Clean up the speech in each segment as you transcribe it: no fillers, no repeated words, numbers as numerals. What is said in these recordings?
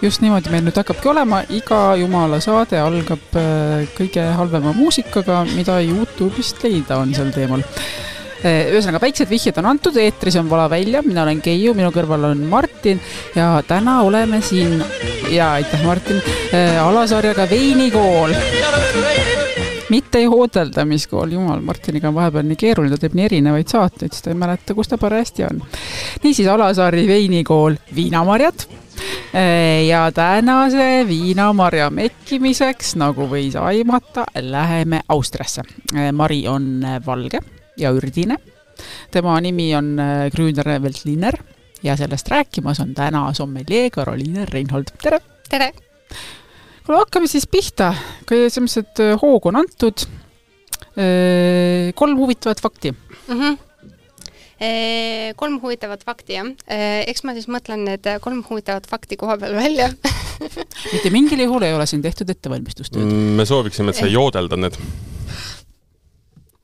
just niimoodi meil nüüd hakkabki olema, iga jumala saade algab kõige halvema muusikaga, mida YouTube'ist leida on sel teemal. Ühesõnaga, väiksed vihjed on antud, eetris on Vala välja, mina olen Keiu, minu kõrval on Martin ja täna oleme siin, ja aitäh Martin, alasarjaga Veinikool. Mitte joodeldamiskool, jumal, Martiniga on vahepeal nii keeruline, ta teeb nii erinevaid saateid, siis ta ei mäleta, kus ta parajasti on. Niisiis Alasari Veinikool Viinamarjad ja tänase viinamarja mekkimiseks, nagu võis aimata, läheme Austriasse. Mari on valge ja ürdine. Tema nimi on Grüner Veltliner ja sellest rääkimas on täna sommelier Karoliine Reinhold. Tere! Tere! Kuule, hakkame siis pihta, kui sellised hoog on antud. 3 huvitavat fakti. 3 huvitavat fakti, jah. Eks ma siis mõtlen need 3 huvitavat fakti koha peal välja. Mitte mingil juhul ei ole siin tehtud ettevalmistustööd. Me sooviksime, et sa joodelda need.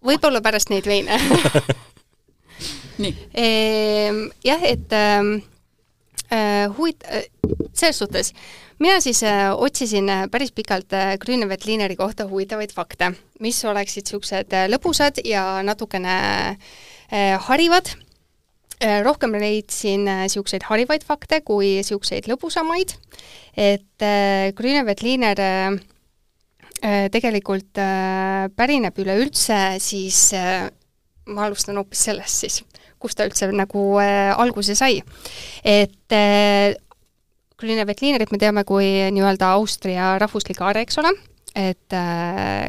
Võib-olla pärast neid veine. Nii. Jah, et selles suhtes mina siis otsisin päris pikalt Grüner Veltlineri kohta huvitavaid fakte, mis oleksid siuksed lõbusad ja natukene harivad. Rohkem leidsin siukseid harivaid fakte kui siukseid lõbusamaid, et Grüner Veltliner tegelikult pärineb üleüldse, siis ma alustan hoopis sellest siis, kus ta üldse nagu alguse sai. Et Grüner Veltlinerit me teame kui nii-öelda Austria rahvuslik aare, eks ole, et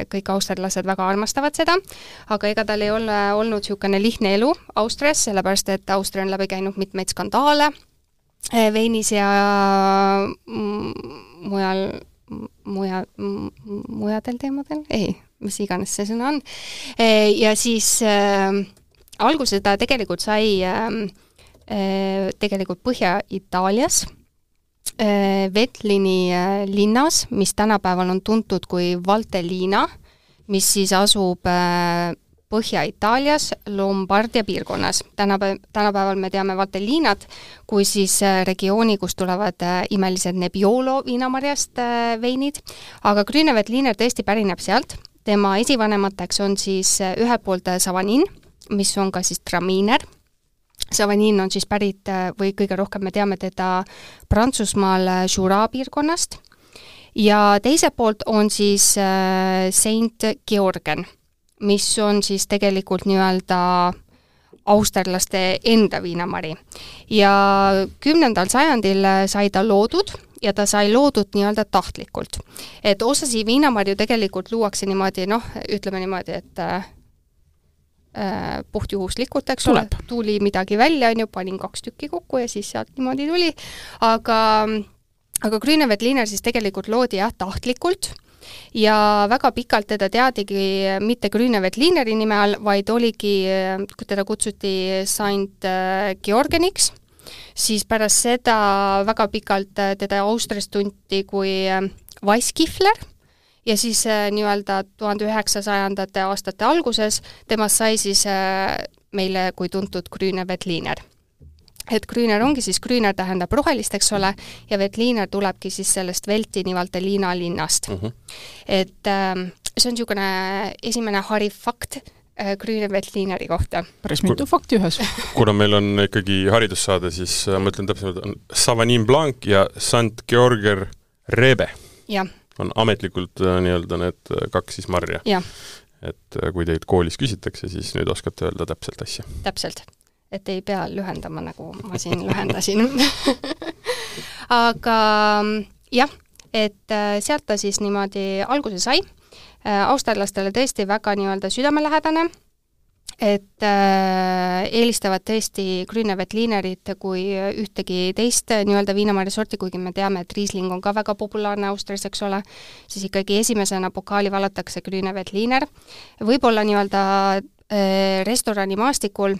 kõik austerlased väga armastavad seda, aga ega tal ei ole olnud siukene lihtne elu Austrias, sellepärast et Austria on läbi käinud mitmeid skandaale veinis ja mujadel teemadel, mis iganes see sõna on. Ja siis alguse ta tegelikult sai tegelikult Põhja-Itaalias, Veltlini linnas, mis tänapäeval on tuntud kui Valtellina, mis siis asub Põhja-Itaalias Lombardia piirkonnas. Tänapäeval me teame Valtellinat kui siis regiooni, kus tulevad imelised Nebbiolo viinamarjast veinid, aga Grüner Veltliner tõesti pärineb sealt. Tema esivanemateks on siis ühelt poolt Savanin, mis on ka siis Traminer. Savanin on siis pärit või kõige rohkem me teame teda Prantsusmaal Jura piirkonnast ja teiselt poolt on siis Saint Georgen, mis on siis tegelikult nii-öelda austerlaste enda viinamari. Ja 10. sajandil sai ta loodud ja ta sai loodud nii-öelda tahtlikult. Et osasi viinamarju tegelikult luuakse niimoodi, ütleme niimoodi, et puhtjuhuslikult, eks ole, tuli midagi välja, panin 2 tükki kokku ja siis sealt niimoodi tuli, aga Grüner Veltliner siis tegelikult loodi tahtlikult ja väga pikalt teda teadigi mitte Grüner Veltlineri nime all, vaid oligi, kui teda kutsuti Saint Georgeniks, siis pärast seda väga pikalt teda Austrias tunti kui Weisskifler ja siis nii-öelda 1900 aastate alguses temast sai siis meile kui tuntud Grüner Veltliner. Et Grüner ongi siis, Grüner tähendab rohelist, eks ole, ja Veltliner tulebki siis sellest Veltini Valtellina linnast. Et see on niisugune esimene hariv fakt Grüner Veltlineri kohta. Päris mitu fakti ühes. Kuna meil on ikkagi haridussaade, siis ma ütlen täpselt, on Savanin Blanc ja Saint Georger Rebe. Jah. On ametlikult nii-öelda need 2 siis marja. Ja. Et kui teid koolis küsitakse, siis nüüd oskate öelda täpselt asja. Täpselt. Et ei pea lühendama, nagu ma siin lühendasin. Aga jah, et sealt ta siis niimoodi alguse sai. Austerlastele tõesti väga nii-öelda südamelähedane, et eelistavad tõesti Grüner Veltlinerit kui ühtegi teist nii-öelda viinamarja sorti, kuigi me teame, et Riesling on ka väga populaarne Austrias, eks ole, siis ikkagi esimesena pokaali valatakse Grüner Veltliner. Võib-olla nii-öelda restorani maastikul,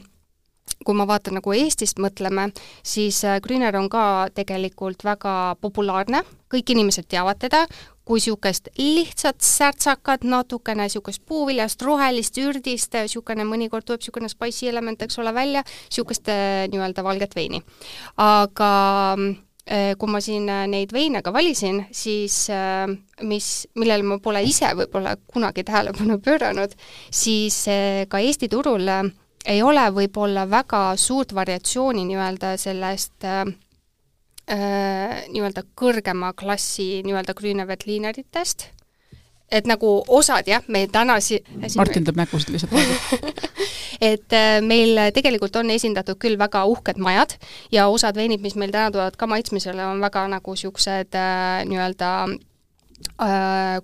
kui ma vaatan nagu Eestist mõtleme, siis Grüner on ka tegelikult väga populaarne, kõik inimesed teavad teda, kui siukest lihtsalt särtsakat, natukene siukest puuviljast, rohelist, ürdist, siukene mõnikord tuleb siukene spicy element, eks ole välja, siukest nii-öelda valget veini. Aga kui ma siin neid veine ka valisin, siis millele ma pole ise võib-olla kunagi tähelepanu pööranud, siis ka Eesti turul ei ole võib-olla väga suurt variatsiooni nii-öelda sellest nii-öelda kõrgema klassi nii-öelda Grüneveltlineritest. Et nagu osad, jah, meil täna Martin teeb nägusid lihtsalt praegu. Et meil tegelikult on esindatud küll väga uhked majad ja osad veinid, mis meil täna tulevad ka maitsmisele, on väga nagu siuksed nii-öelda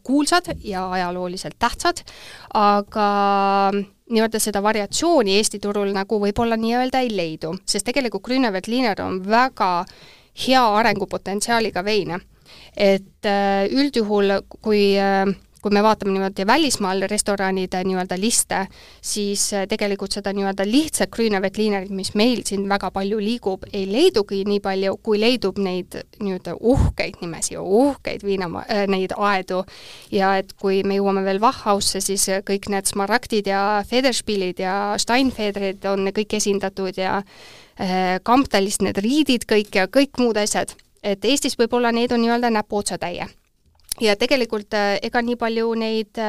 kuulsad ja ajalooliselt tähtsad, aga nii-öelda seda variatsiooni Eesti turul nagu võib-olla nii-öelda ei leidu, sest tegelikult Grüneveltliner on väga hea arengupotentsiaaliga veine. Et üldjuhul, kui me vaatame niimoodi välismaal restoranide nii-öelda liste, siis tegelikult seda nii-öelda lihtsalt Grüneveltlinerit, mis meil siin väga palju liigub, ei leidugi nii palju, kui leidub neid nii-öelda uhkeid nimesi, uhkeid neid aedu. Ja et kui me jõuame veel Wachhausse, siis kõik need smaragdid ja Federspielid ja Steinfederid on kõik esindatud ja Kamptalist need riidid kõik ja kõik muud asjad. Et Eestis võib-olla neid on nii-öelda näpuotsa täie. Ja tegelikult ega nii palju neid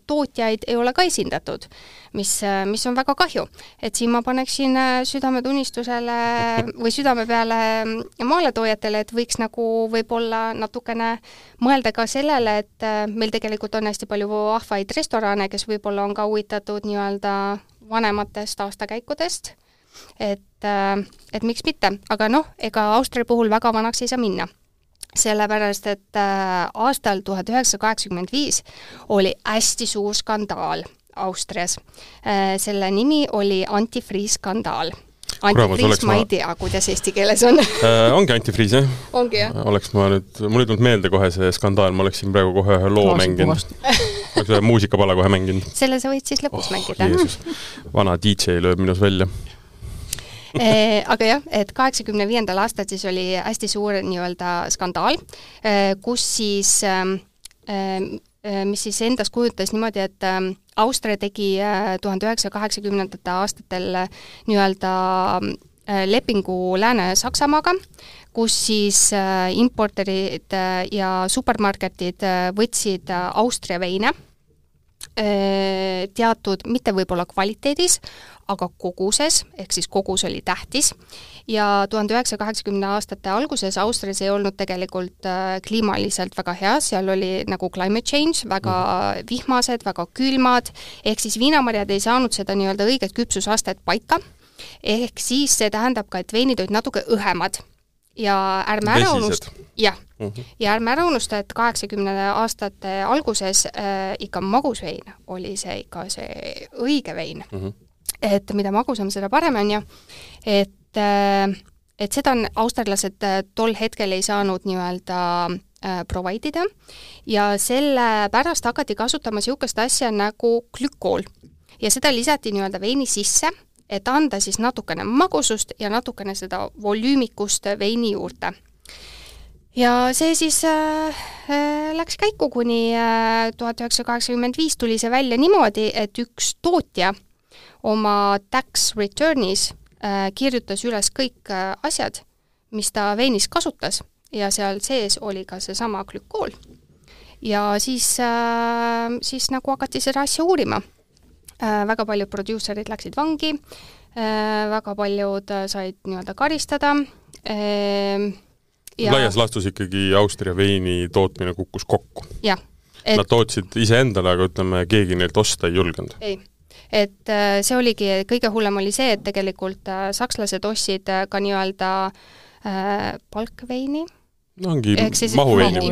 tootjaid ei ole ka esindatud, mis on väga kahju. Et siin ma paneksin südametunnistusele või südame peale maaletoojatele, et võiks nagu võib-olla natukene mõelda ka sellele, et meil tegelikult on hästi palju vahvaid restorane, kes võib-olla on ka huvitatud nii-öelda vanematest aastakäikudest, et miks mitte, aga ega Austria puhul väga vanaks ei saa minna. Sellepärast, et aastal 1985 oli hästi suur skandaal Austrias. Selle nimi oli antifriis-skandaal. Antifriis, ma ei tea, kuidas eesti keeles on. Ongi antifriis, jah? Ongi, jah. Mul ei tulnud meelde kohe see skandaal, ma oleksin praegu kohe ühe loo mänginud. Oleks ühe muusikapala kohe mänginud. Selle sa võid siis lõpus mängida. Vana DJ lööb minus välja. Aga jah, et 85. aastal siis oli hästi suur nii-öelda skandaal, kus siis, mis siis endas kujutas niimoodi, et Austria tegi 1980. aastatel nii-öelda lepingu Lääne-Saksamaaga, kus siis importerid ja supermarketid võtsid Austria veine teatud, mitte võib-olla kvaliteedis, aga koguses, ehk siis kogus oli tähtis. Ja 1980. aastate alguses Austrias ei olnud tegelikult kliimaliselt väga hea, seal oli nagu climate change, väga vihmased, väga külmad, ehk siis viinamarjad ei saanud seda nii-öelda õiget küpsusastet paika, ehk siis see tähendab ka, et veinid olid natuke õhemad. Ja ärme ära unusta, et 80 aastate alguses ikka magusvein oli see ikka see õige vein. Et mida magusam, seda parem on ju. Et seda on austerlased tol hetkel ei saanud nii-öelda providida ja selle pärast hakati kasutama siukest asja nagu glükool. Ja seda lisati nii-öelda veini sisse, et anda siis natukene magusust ja natukene seda volüümikust veini juurde. Ja see siis läks käiku kuni 1985 tuli see välja niimoodi, et üks tootja oma tax returnis kirjutas üles kõik asjad, mis ta veinis kasutas ja seal sees oli ka see sama glükool. Ja siis nagu hakati seda asja uurima. Väga paljud producerid läksid vangi, väga paljud said nii-öelda karistada. Laias laastus ikkagi Austria veini tootmine kukkus kokku. Jah. Nad tootsid ise endale, aga ütleme, keegi neilt osta ei julgenud. Ei. Et see oligi, kõige hullem oli see, et tegelikult sakslased ostsid ka nii-öelda palkveini. No ongi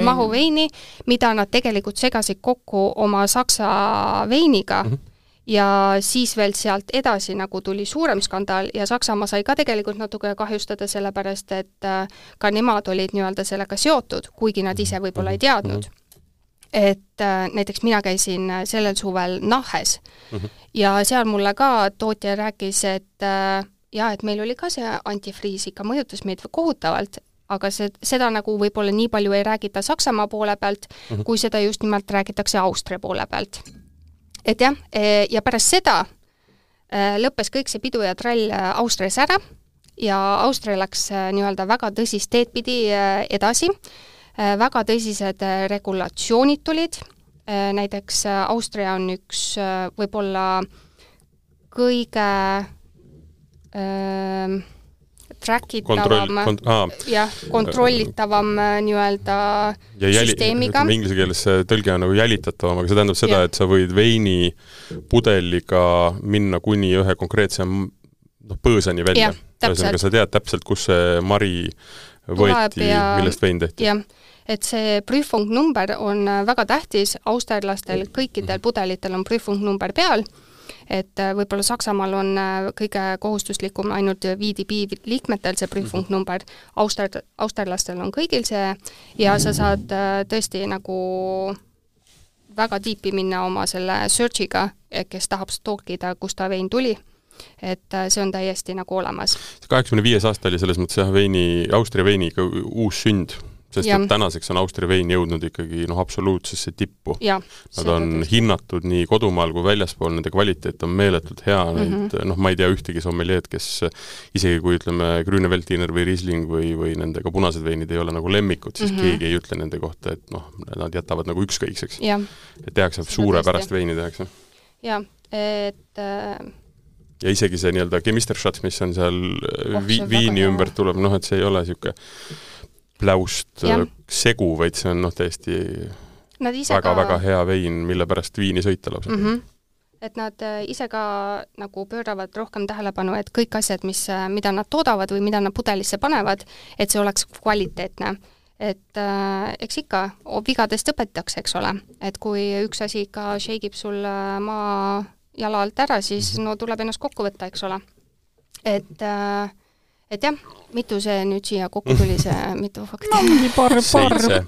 mahuveini, mida nad tegelikult segasid kokku oma saksa veiniga ja siis veel sealt edasi nagu tuli suurem skandaal ja Saksamaa sai ka tegelikult natuke kahjustada sellepärast, et ka nemad olid nii-öelda sellega seotud, kuigi nad ise võib-olla ei teadnud. Et näiteks mina käisin sellel suvel Nahes ja seal mulle ka tootja rääkis, et et meil oli ka see antifriis ikka mõjutas meid kohutavalt, aga seda nagu võib-olla nii palju ei räägita Saksamaa poole pealt, kui seda just nimelt räägitakse Austria poole pealt. Et jah, ja pärast seda lõppes kõik see pidu ja trall Austrias ära ja Austria läks nii-öelda väga tõsist teed pidi edasi, väga tõsised regulatsioonid tulid, näiteks Austria on üks võib-olla kõige trackitavam, kontrollitavam nii-öelda süsteemiga. Inglise keeles see tõlge on nagu jälitatavam, aga see tähendab seda, et sa võid veini pudeliga minna kuni ühe konkreetse põõsani välja. Ühesõnaga, sa tead täpselt, kus see mari võeti, millest vein tehti. Jah, et see prüfungnumber on väga tähtis, austerlastel kõikidel pudelitel on prüfungnumber peal, et võib-olla Saksamaal on kõige kohustuslikum ainult VDP liikmetel see prüfungnumber, austerlastel on kõigil see ja sa saad tõesti nagu väga tiipi minna oma selle searchiga, kes tahab stalkida, kust ta vein tuli. Et see on täiesti nagu olemas. 85 aasta oli selles mõttes Austria veini ikka uus sünd, sest et tänaseks on Austria vein jõudnud ikkagi absoluutsesse tippu. Nad on hinnatud nii kodumaal kui väljaspool, nende kvaliteet on meeletult hea, ma ei tea ühtegi sommelier, kes isegi kui ütleme Grüne-Veltliner või Riesling või nendega punased veinid ei ole nagu lemmikud, siis keegi ei ütle nende kohta, et nad jätavad nagu ükskõikseks. Et tehakse suurepärast veini tehakse. Ja isegi see nii-öelda Chemisterschatz, mis on seal viini ümber tuleb, et see ei ole niisugune pläust segu, vaid see on täiesti väga hea vein, mille pärast viini sõita lausa. Et nad ise ka nagu pööravad rohkem tähelepanu, et kõik asjad, mida nad toodavad või mida nad pudelisse panevad, et see oleks kvaliteetne. Et eks ikka vigadest õpetatakse, eks ole. Et kui üks asi ikka shakeib sul maa jala alt ära, siis tuleb ennast kokku võtta, eks ole. Et jah, mitu see nüüd siia kokku tuli, see mitu fakti?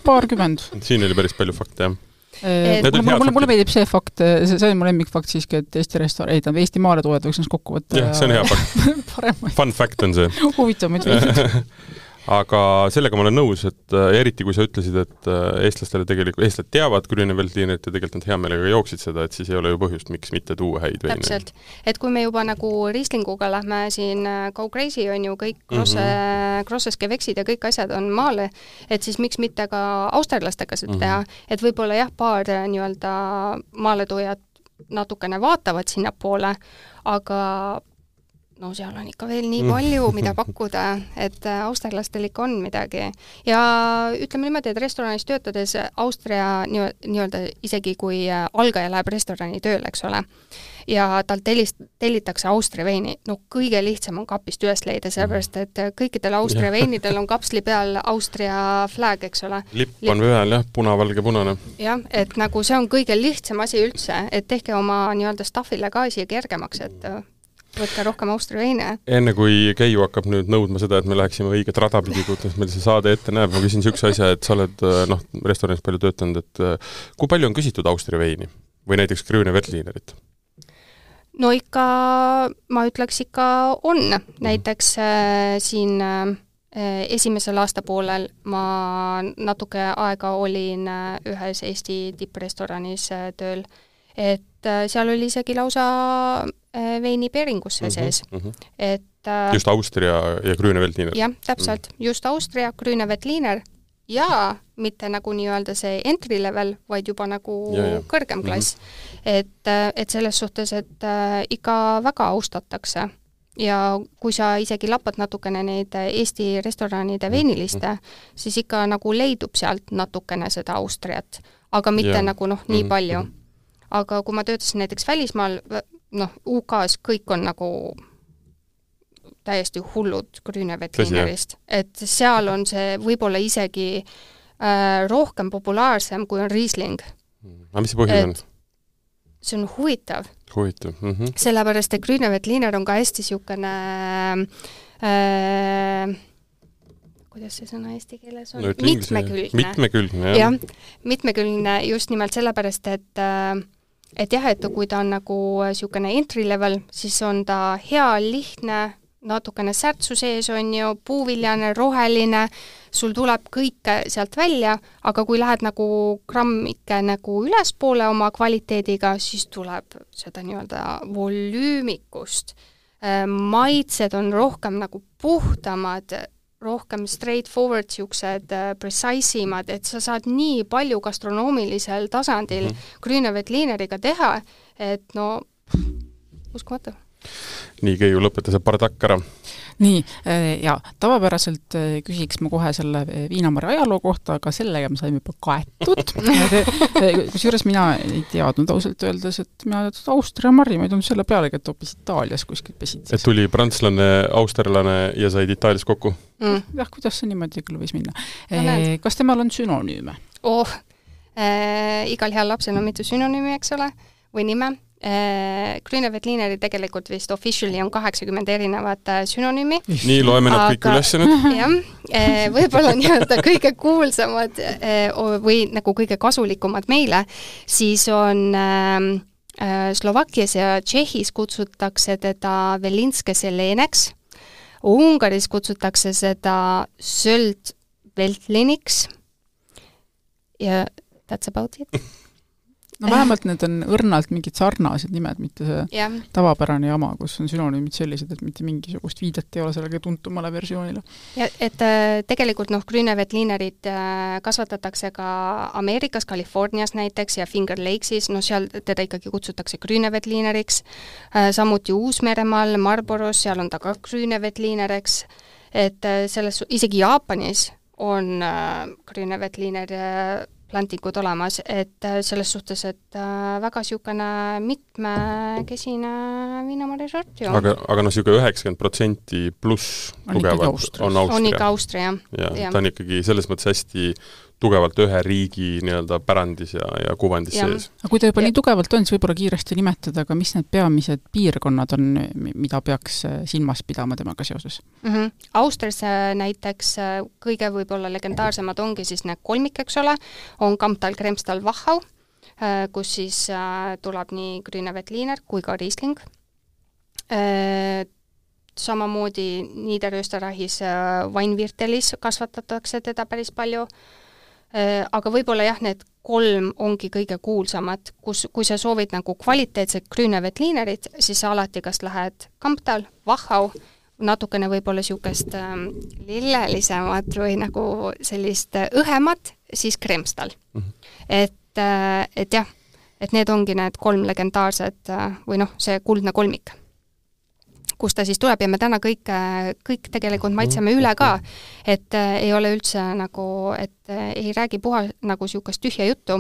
Paarkümmend. Siin oli päris palju fakte, jah. Mulle meeldib see fakt, see on mu lemmikfakt siiski, et Eesti maale toojad võiks ennast kokku võtta. Jah, see on hea fakt. Fun fact on see. Huvitavamaid veidid. Aga sellega ma olen nõus, et eriti kui sa ütlesid, et eestlased teavad Grüne-Veltlinerit ja tegelikult nad hea meelega jooksid seda, et siis ei ole ju põhjust, miks mitte tuua häid veine. Täpselt. Et kui me juba nagu Rieslinguga lähme siin Go Crazy on ju kõik Grosseske veksid ja kõik asjad on maale, et siis miks mitte ka austerlastega seda teha, et võib-olla paar nii-öelda maaletujad natukene vaatavad sinna poole, aga seal on ikka veel nii palju, mida pakkuda, et austerlastel ikka on midagi. Ja ütleme niimoodi, et restoranis töötades Austria nii-öelda isegi kui algaja läheb restorani tööle, eks ole, ja tal tellitakse Austria veini, kõige lihtsam on kapist üles leida, sellepärast, et kõikidel Austria veinidel on kapsli peal Austria flag, eks ole. Lipp on peal, jah, punavalge punane. Jah, et nagu see on kõige lihtsam asi üldse, et tehke oma nii-öelda staffile ka asi kergemaks, et võtka rohkem Austria veine. Enne kui Keiu hakkab nüüd nõudma seda, et me läheksime õiget radapidi, kuidas meil see saade ette näeb, ma küsin niisuguse asja, et sa oled restoranis palju töötanud, et kui palju on küsitud Austria veini või näiteks Grüne-Veltlinerit? No ikka, ma ütleks ikka on. Näiteks siin esimesel aastapoolel ma natuke aega olin ühes Eesti tipprestoranis tööl, et seal oli isegi lausa veinipeeringusse sees. Et, just Austria ja Grüne-Veltliner. Jah, täpselt. Just Austria, Grüne-Veltliner ja mitte nagu nii-öelda see entry level, vaid juba nagu kõrgem klass. Et selles suhtes, et ikka väga austatakse. Ja kui sa isegi lapad natukene neid Eesti restoranide veiniliste, siis ikka nagu leidub sealt natukene seda Austriat, aga mitte nagu nii palju. Aga kui ma töötasin näiteks välismaal, UK-s kõik on nagu täiesti hullud Grüne-Veltlinerist. Et seal on see võib-olla isegi rohkem populaarsem, kui on Riesling. Aga mis see põhjus on? See on huvitav. Huvitav. Sellepärast, et Grüne-Veltliner on ka hästi siukene kuidas see sõna eesti keeles on? Mitmekülgne. Jah, mitmekülgne just nimelt sellepärast, et jah, et kui ta on nagu siukene entry level, siis on ta hea, lihtne, natukene särtsu sees on ju, puuviljane, roheline, sul tuleb kõik sealt välja, aga kui lähed nagu grammike nagu ülespoole oma kvaliteediga, siis tuleb seda nii-öelda volüümikust maitsed on rohkem nagu puhtamad, rohkem straightforward, siuksed precise imad, et sa saad nii palju gastronoomilisel tasandil Grüneveltlineriga teha, et no uskumatu. Nii, Keiu, lõpeta see bardakk ära. Nii, ja tavapäraselt küsiks ma kohe selle Viinamarja ajaloo kohta, aga sellega me saime juba kaetud. Kusjuures mina ei teadnud ausalt öeldes, et mina Austria marrimaid on selle pealegi, et hoopis Itaalias kuskilt pesid. Et tuli prantslane, austerlane ja said Itaalias kokku? Jah, kuidas see niimoodi küll võis minna? Kas temal on sünonüüme? Igal heal lapsel on mitu sünonüümi, eks ole, või nime. Grüneveltlineri tegelikult vist officially on 80 erinevat sünonüümi. Nii, loeme nad kõik üles nüüd. Jah, võib-olla nii-öelda kõige kuulsamad või nagu kõige kasulikumad meile, siis on Slovakkias ja Tšehhis kutsutakse teda Velinske seleneks, Ungaris kutsutakse seda Söldveltliniks ja that's about it. No vähemalt need on õrnalt mingid sarnased nimed, mitte see tavapärane jama, kus on sünonüümid sellised, et mitte mingisugust viidet ei ole sellega tuntumale versioonile. Ja, et tegelikult Grüneveltlinerit kasvatatakse ka Ameerikas, Californias näiteks ja Finger Lakesis, seal teda ikkagi kutsutakse Grüneveltlineriks, samuti Uus-Meremaal, Marlboros, seal on ta ka Grüneveltlineriks, et selles, isegi Jaapanis on Grüneveltliner plantingud olemas, et selles suhtes, et väga niisugune mitmekesine viinamarja sort. Aga niisugune 90% pluss tugevalt on Austria. On ikka Austria, jah. Ta on ikkagi selles mõttes hästi tugevalt ühe riigi nii-öelda pärandis ja kuvandis sees. Aga kui ta juba nii tugevalt on, siis võib-olla kiiresti nimetada, aga mis need peamised piirkonnad on, mida peaks silmas pidama temaga seoses? Austrias näiteks kõige võib-olla legendaarsemad ongi siis need kolmik, eks ole, on Kamptal, Kremstal, Wachau, kus siis tuleb nii Grüneveltliner kui ka Riesling. Samamoodi Niederösterreichis Weinviertelis kasvatatakse teda päris palju, aga võib-olla jah, need kolm ongi kõige kuulsamad, kui sa soovid nagu kvaliteetset Grüneveltlinerit, siis sa alati kas lähed Kamptal, Wachau, natukene võib-olla niisugust lillelisemat või nagu sellist õhemat, siis Kremstal. Et jah, et need ongi need kolm legendaarsed või see kuldne kolmik, kus ta siis tuleb ja me täna kõik tegelikult maitseme üle ka, et ei ole üldse nagu, et ei räägi puha nagu niisugust tühja juttu,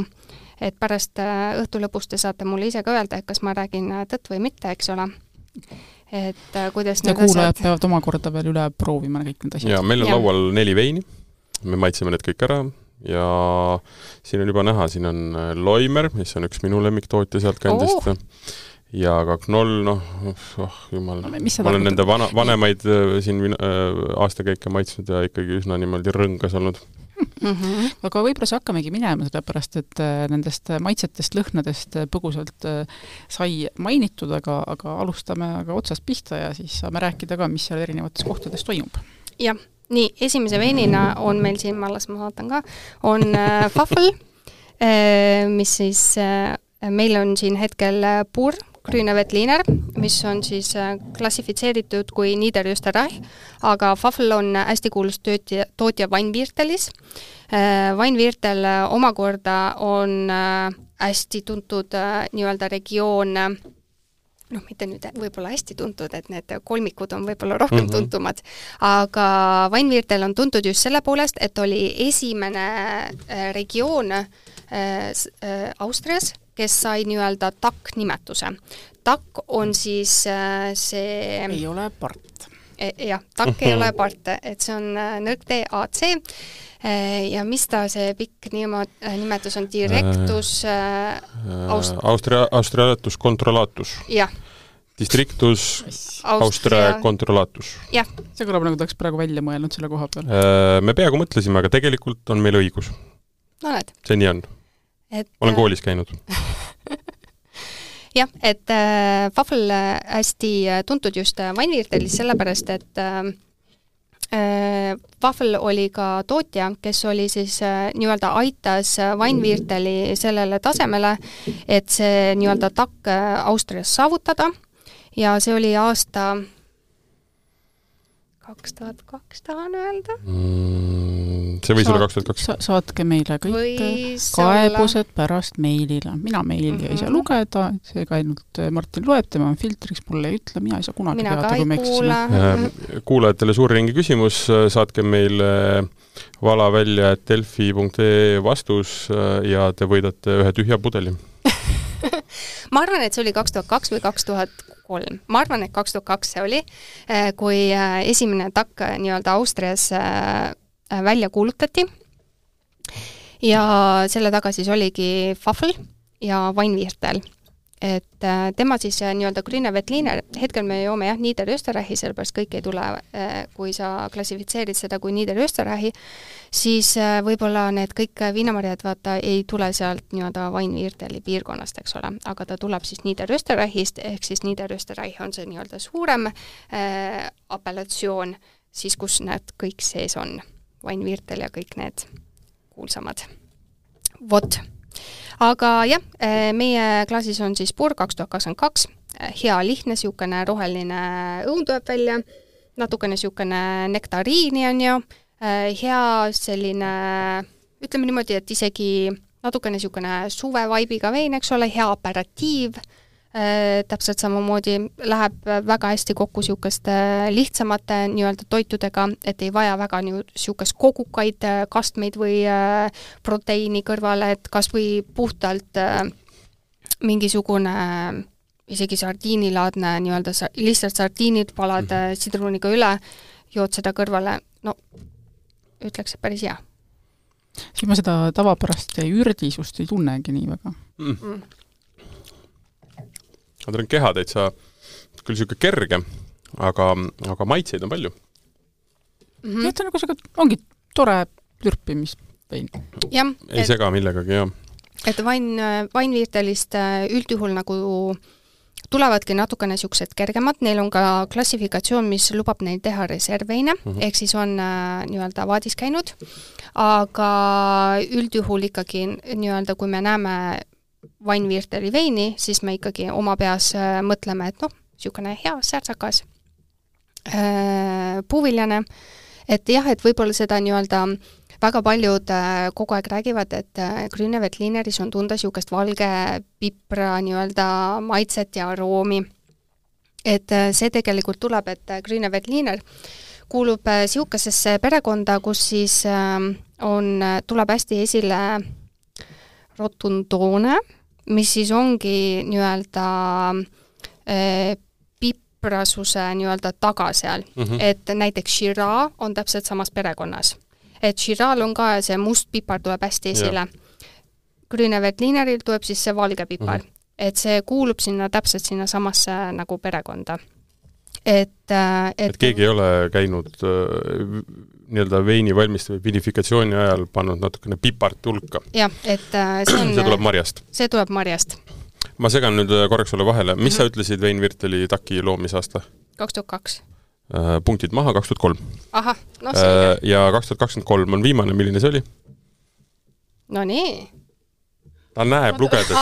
et pärast õhtu lõpus te saate mulle ise ka öelda, et kas ma räägin tõtt või mitte, eks ole. Et kuidas ja kuulajad peavad omakorda veel üle proovima kõik need asjad. Ja meil on laual 4 veini, me maitseme need kõik ära ja siin on juba näha, siin on Loimer, mis on üks minu lemmiktootja sealt kandist. Ja ka Knoll, jumal, ma olen nende vanemaid siin aastakäike maitsnud ja ikkagi üsna niimoodi rõngas olnud. Aga võib-olla see hakkamegi minema, sellepärast, et nendest maitsetest, lõhnadest põgusalt sai mainitud, aga alustame otsast pihta ja siis saame rääkida ka, mis seal erinevates kohtades toimub. Jah, nii, esimese veinina on meil siin, ma vaatan ka, on Pfaffel, mis siis meil on siin hetkel Pur, Grüneveltliner, mis on siis klassifitseeritud kui Niederösterreich, aga Pfaffel on hästi kuulus tootja Weinviertelis. Weinviertel omakorda on hästi tuntud nii-öelda regioon, mitte nüüd võib-olla hästi tuntud, et need kolmikud on võib-olla rohkem tuntumad, aga Weinviertel on tuntud just selle poolest, et oli esimene regioon Austrias, kes sai nii-öelda TAK-nimetuse. TAK on siis see... Ei ole part. Jah, TAK ei ole part, et see on nõrk DAC ja mis ta see pikk nimetus on? Directus... Austrialatus controllatus. Jah. Districtus Austria controllatus. Jah. See kõlab nagu tahaks praegu välja mõelnud selle koha peal. Me peaaegu mõtlesime, aga tegelikult on meil õigus. No näed. See nii on. Olen koolis käinud. Jah, et Pfaffel hästi tuntud just Weinviertelis sellepärast, et Pfaffel oli ka tootja, kes oli siis nii-öelda aitas Weinvierteli sellele tasemele, et see nii-öelda TAK Austrias saavutada ja see oli aasta 2002, tahan öelda. See võis olla 2002. Saatke meile kõik kaebused pärast meilile. Mina meili ei saa lugeda, seega ainult Martin loeb, tema on filtriks, mulle ei ütle, mina ei saa kunagi teada, kui me eksisime. Kuulajatele suur ringi küsimus, saatke meile vala välja delfi.ee vastus ja te võidate ühe tühja pudeli. Ma arvan, et see oli 2002 või 2003. Ma arvan, et 2002 see oli, kui esimene TAK nii-öelda Austrias välja kuulutati. Ja selle taga siis oligi Fafel ja Weinviertel. Et tema siis nii-öelda Grüne Veltliner, hetkel me joome Niederösterreichi, sellepärast kõik ei tule, kui sa klassifitseerid seda kui Niederösterreichi, siis võib-olla need kõik viinamarjad vaata ei tule sealt nii-öelda Weinvierteli piirkonnast, eks ole, aga ta tuleb siis Niederösterreichist, ehk siis Niederösterreich on see nii-öelda suurem apellatsioon, siis kus need kõik sees on, Weinviertel ja kõik need kuulsamad. Vot. Aga jah, meie klaasis on siis Pur 2022, hea lihtne, siukene roheline õun tuleb välja, natukene siukene nektariini on ju, hea selline, ütleme niimoodi, et isegi natukene siukene suvevaibiga vein, eks ole, hea aperatiiv, täpselt samamoodi läheb väga hästi kokku siukeste lihtsamate nii-öelda toitudega, et ei vaja väga siukest kogukaid kastmeid või proteiini kõrvale, et kas või puhtalt mingisugune isegi sardiinilaadne nii-öelda lihtsalt sardiinid palad sidruniga üle, jood seda kõrvale, no ütleks, et päris hea. Siis ma seda tavapärast ürdisust ei tunnegi nii väga. Nad on keha täitsa küll siuke kerge, aga maitseid on palju. Et on nagu ongi tore lürpimisvein. Ei sega millegagi, jah. Et Weinviertelist üldjuhul nagu tulevadki natukene siuksed kergemad, neil on ka klassifikatsioon, mis lubab neil teha reservveine, ehk siis on nii-öelda vaadis käinud, aga üldjuhul ikkagi nii-öelda, kui me näeme Weinvierteli veini, siis me ikkagi oma peas mõtleme, et siukene hea särtsakas puuviljane, et jah, et võib-olla seda nii-öelda väga paljud kogu aeg räägivad, et Grüne Veltlineris on tunda siukest valge pipra nii-öelda maitset ja aroomi. Et see tegelikult tuleb, et Grüne Veltliner kuulub siukesesse perekonda, kus siis tuleb hästi esile rotundoone, mis siis ongi nii-öelda piprasuse nii-öelda taga seal. Et näiteks Shiraz on täpselt samas perekonnas. Et Shiraz'l on ka see must pipar tuleb hästi esile. Grüne Veltlineril tuleb siis see valge pipar. Et see kuulub sinna täpselt sinna samasse nagu perekonda. Et keegi ei ole käinud nii-öelda veini valmistav vinifikatsiooni ajal pannud natukene pipart hulka. Jah, et see tuleb marjast. See tuleb marjast. Ma segan nüüd korraks sulle vahele. Mis sa ütlesid Weinvierteli taki loomisaasta? 2002. Punktid maha 2003. Aha, selge. Ja 2023 on viimane, milline see oli? No nii. Ta näeb lugedes.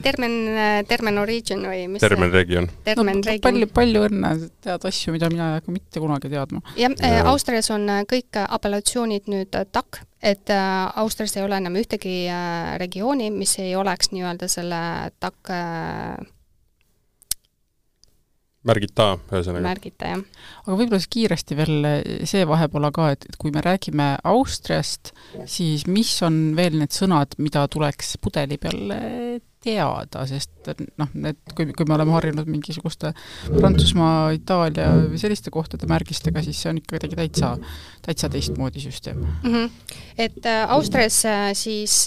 Termen origin või mis Termen region. Palju õnne tead asju, mida mina ei mitte kunagi teadma. Jah, Austrias on kõik apellatsioonid nüüd TAK, et Austrias ei ole enam ühtegi regiooni, mis ei oleks nii-öelda selle TAK Märgita, ühesõnaga. Märgita, jah. Aga võib-olla kiiresti veel see vahepola ka, et kui me räägime Austriast, siis mis on veel need sõnad, mida tuleks pudeli peal teada, sest kui me oleme harjunud mingisuguste Prantsusmaa, Itaalia või selliste kohtade märgistega, siis see on ikka täitsa teistmoodi süsteem. Et Austrias siis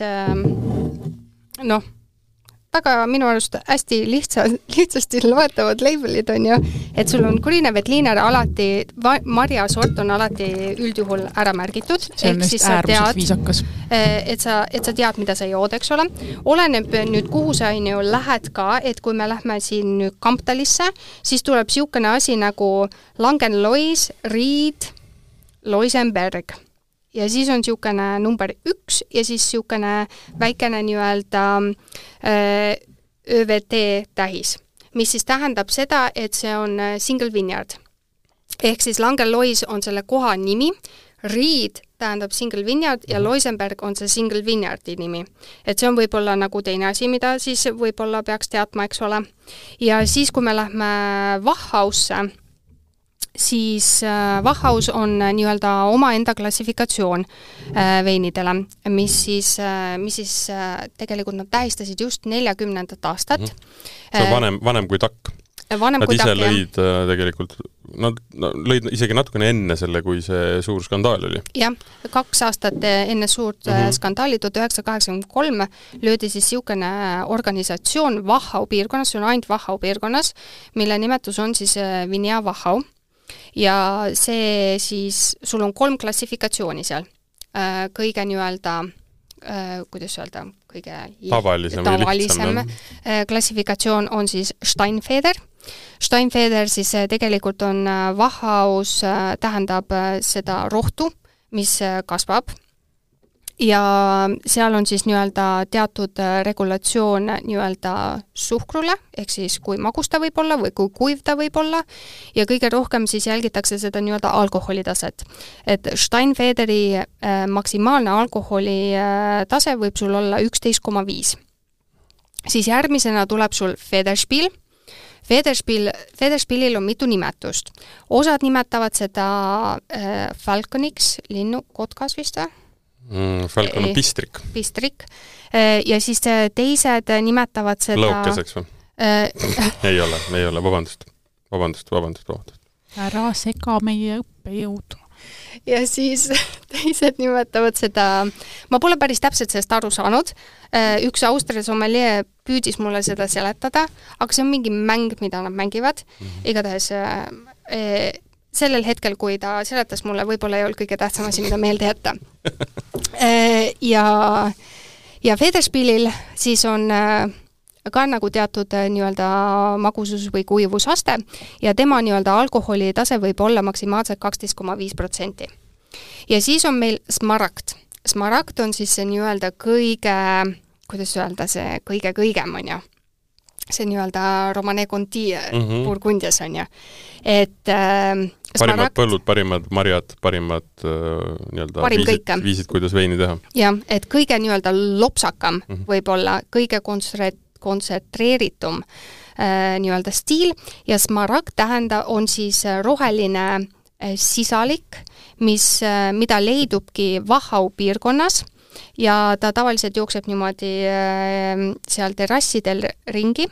väga minu arust hästi lihtsasti loetavad labelid on ju, et sul on Grüne Veltliner alati, marjasort on alati üldjuhul ära märgitud. See on neist äärmiselt viisakas. Et sa tead, mida sa jood, eks ole. Oleneb nüüd, kuhu sa on ju lähed ka, et kui me lähme siin nüüd Kamptalisse, siis tuleb siukene asi nagu Langenlois, Ried, Loisenberg. Ja siis on siukene number 1 ja siis siukene väikene nii-öelda ÖVT tähis, mis siis tähendab seda, et see on single vineyard. Ehk siis Langelois on selle koha nimi, Riid tähendab single vineyard ja Loisenberg on see single vineyardi nimi. Et see on võib-olla nagu teine asi, mida siis võib-olla peaks teadma, eks ole. Ja siis, kui me lähme Wachhausse, siis Wachhaus on nii-öelda omaenda klassifikatsioon veinidele, mis siis tegelikult nad tähistasid just 40. aastat. See on vanem kui takk. Nad ise lõid tegelikult, nad lõid isegi natukene enne selle, kui see suur skandaal oli. Jah, 2 aastat enne suurt skandaali 1983 löödi siis siukene organisatsioon Wachau piirkonnas, see on ainult Wachau piirkonnas, mille nimetus on siis Vinea Wachau. Ja see siis, sul on 3 klassifikatsiooni seal. Kõige nii-öelda, kuidas öelda, kõige tavalisem klassifikatsioon on siis Steinfeder. Steinfeder siis tegelikult on Wachhaus, tähendab seda rohtu, mis kasvab. Ja seal on siis nii-öelda teatud regulatsioon nii-öelda suhkrule, ehk siis kui magus ta võib olla või kui kuiv ta võib olla, ja kõige rohkem siis jälgitakse seda nii-öelda alkoholitaset. Et Steinfederi maksimaalne alkoholi tase võib sul olla 11,5. Siis järgmisena tuleb sul Federspiel. Federspielil on mitu nimetust. Osad nimetavad seda Falconiks, linnu, kotkas vist või? Falcon on pistrik. Pistrik. Ja siis teised nimetavad seda... Lõukeseks või? Ei ole, vabandust. Ära sega meie õppejõudu. Ja siis teised nimetavad seda... Ma pole päris täpselt sellest aru saanud. Üks Austria sommelier püüdis mulle seda seletada, aga see on mingi mäng, mida nad mängivad. Igatahes... sellel hetkel, kui ta seletas mulle, võib-olla ei olnud kõige tähtsam asi, mida meelde jätta. Ja Federspielil siis on ka nagu teatud nii-öelda magusus või kuivusaste ja tema nii-öelda alkoholi tase võib olla maksimaalselt 12,5%. Ja siis on meil Smaragd. Smaragd on siis see nii-öelda kõige, kuidas öelda, see kõige-kõigem on ju. See nii-öelda Romane Conti Burgundias on ju. Et parimad põllud, parimad marjad, parimad nii-öelda viisid, kuidas veini teha. Ja, et kõige nii-öelda lopsakam võib-olla, kõige kontsentreeritum nii-öelda stiil ja Smaragd on siis roheline sisalik, mida leidubki Wachau piirkonnas ja ta tavaliselt jookseb niimoodi seal terrassidel ringi,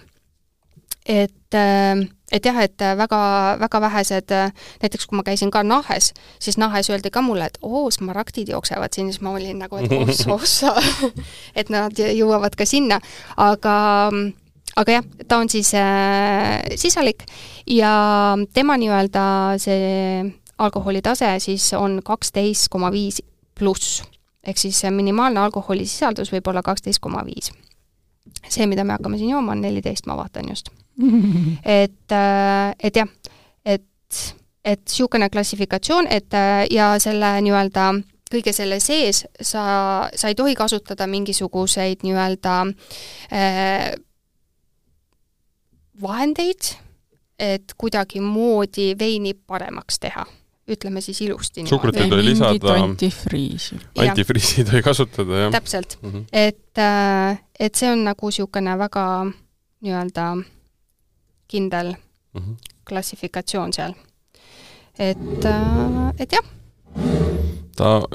et jah, et väga vähesed, näiteks kui ma käisin ka Nahes, siis Nahes öeldi ka mulle, et smaragdid jooksevad siin, siis ma olin nagu, et ossa, et nad jõuavad ka sinna, aga jah, ta on siis sisalik ja tema nii-öelda see alkoholitase siis on 12,5 pluss. Ehk siis minimaalne alkoholisisaldus võib olla 12,5. See, mida me hakkame siin jooma, on 14, ma vaatan just. Et jah, et siukene klassifikatsioon, ja selle nii-öelda kõige selle sees sa ei tohi kasutada mingisuguseid nii-öelda vahendeid, et kuidagi moodi veini paremaks teha. Ütleme siis ilusti. Suhkrut ei tohi lisada. Antifriisi. Antifriisi tohi kasutada, jah. Täpselt. Et see on nagu siukene väga nii-öelda kindel klassifikatsioon seal. Et jah.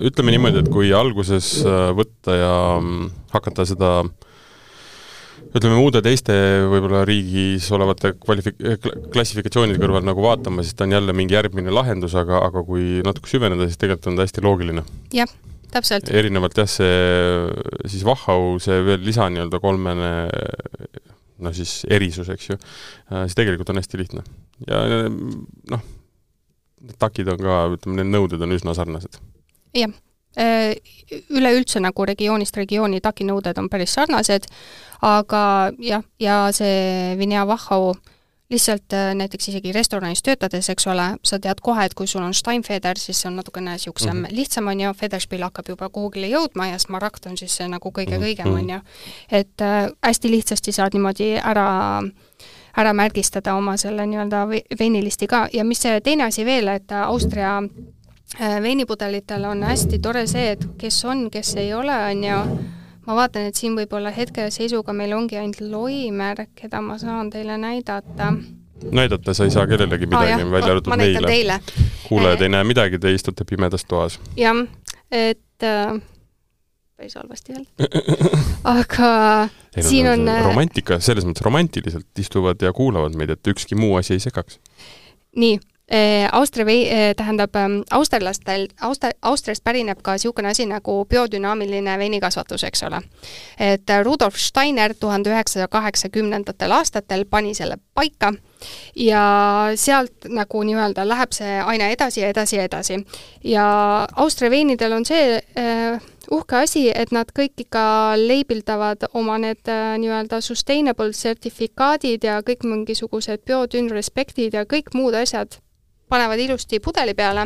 Ütleme niimoodi, et kui alguses võtta ja hakata seda ütleme muude teiste võib-olla riigis olevate klassifikatsioonide kõrval nagu vaatama, siis ta on jälle mingi järgmine lahendus, aga kui natuke süveneda, siis tegelikult on ta hästi loogiline. Jah, täpselt. Erinevalt jah, siis Wachau, see veel lisa nii-öelda 3 siis erisus, eks ju, siis tegelikult on hästi lihtne. Ja takid on ka, ütleme, need nõuded on üsna sarnased. Jah. Üleüldse nagu regioonist regiooni takinõuded on päris sarnased, aga jah, ja see Vinea Wachau lihtsalt näiteks isegi restoranis töötades, eks ole, sa tead kohe, et kui sul on Steinfeder, siis see on natukene siuksem lihtsam on ju, Federspiel hakkab juba kuhugile jõudma ja Smaragd on siis nagu kõige-kõigem on ju. Et hästi lihtsasti saad niimoodi ära ära märgistada oma selle nii-öelda veinilisti ka ja mis see teine asi veel, et Austria veinipudelitel on hästi tore see, et kes on, kes ei ole, on ju. Ma vaatan, et siin võib-olla hetkeseisuga meil ongi ainult Loimer, keda ma saan teile näidata. Näidata sa ei saa kellelegi midagi, välja arvatud meile. Kuulajad ei näe midagi, te istute pimedas toas. Jah, et päris halvasti veel. Aga siin on... Romantika, selles mõttes romantiliselt istuvad ja kuulavad meid, et ükski muu asi ei segaks. Nii. Tähendab, Austriast pärineb ka siukene asi nagu biodünaamiline veinikasvatus, eks ole. Et Rudolf Steiner 1980 aastatel pani selle paika ja sealt nagu nii-öelda läheb see aina edasi ja edasi ja edasi. Ja Austria veinidel on see uhke asi, et nad kõik ikka leibildavad oma need nii-öelda sustainable sertifikaadid ja kõik mingisugused biodün respektid ja kõik muud asjad panevad ilusti pudeli peale,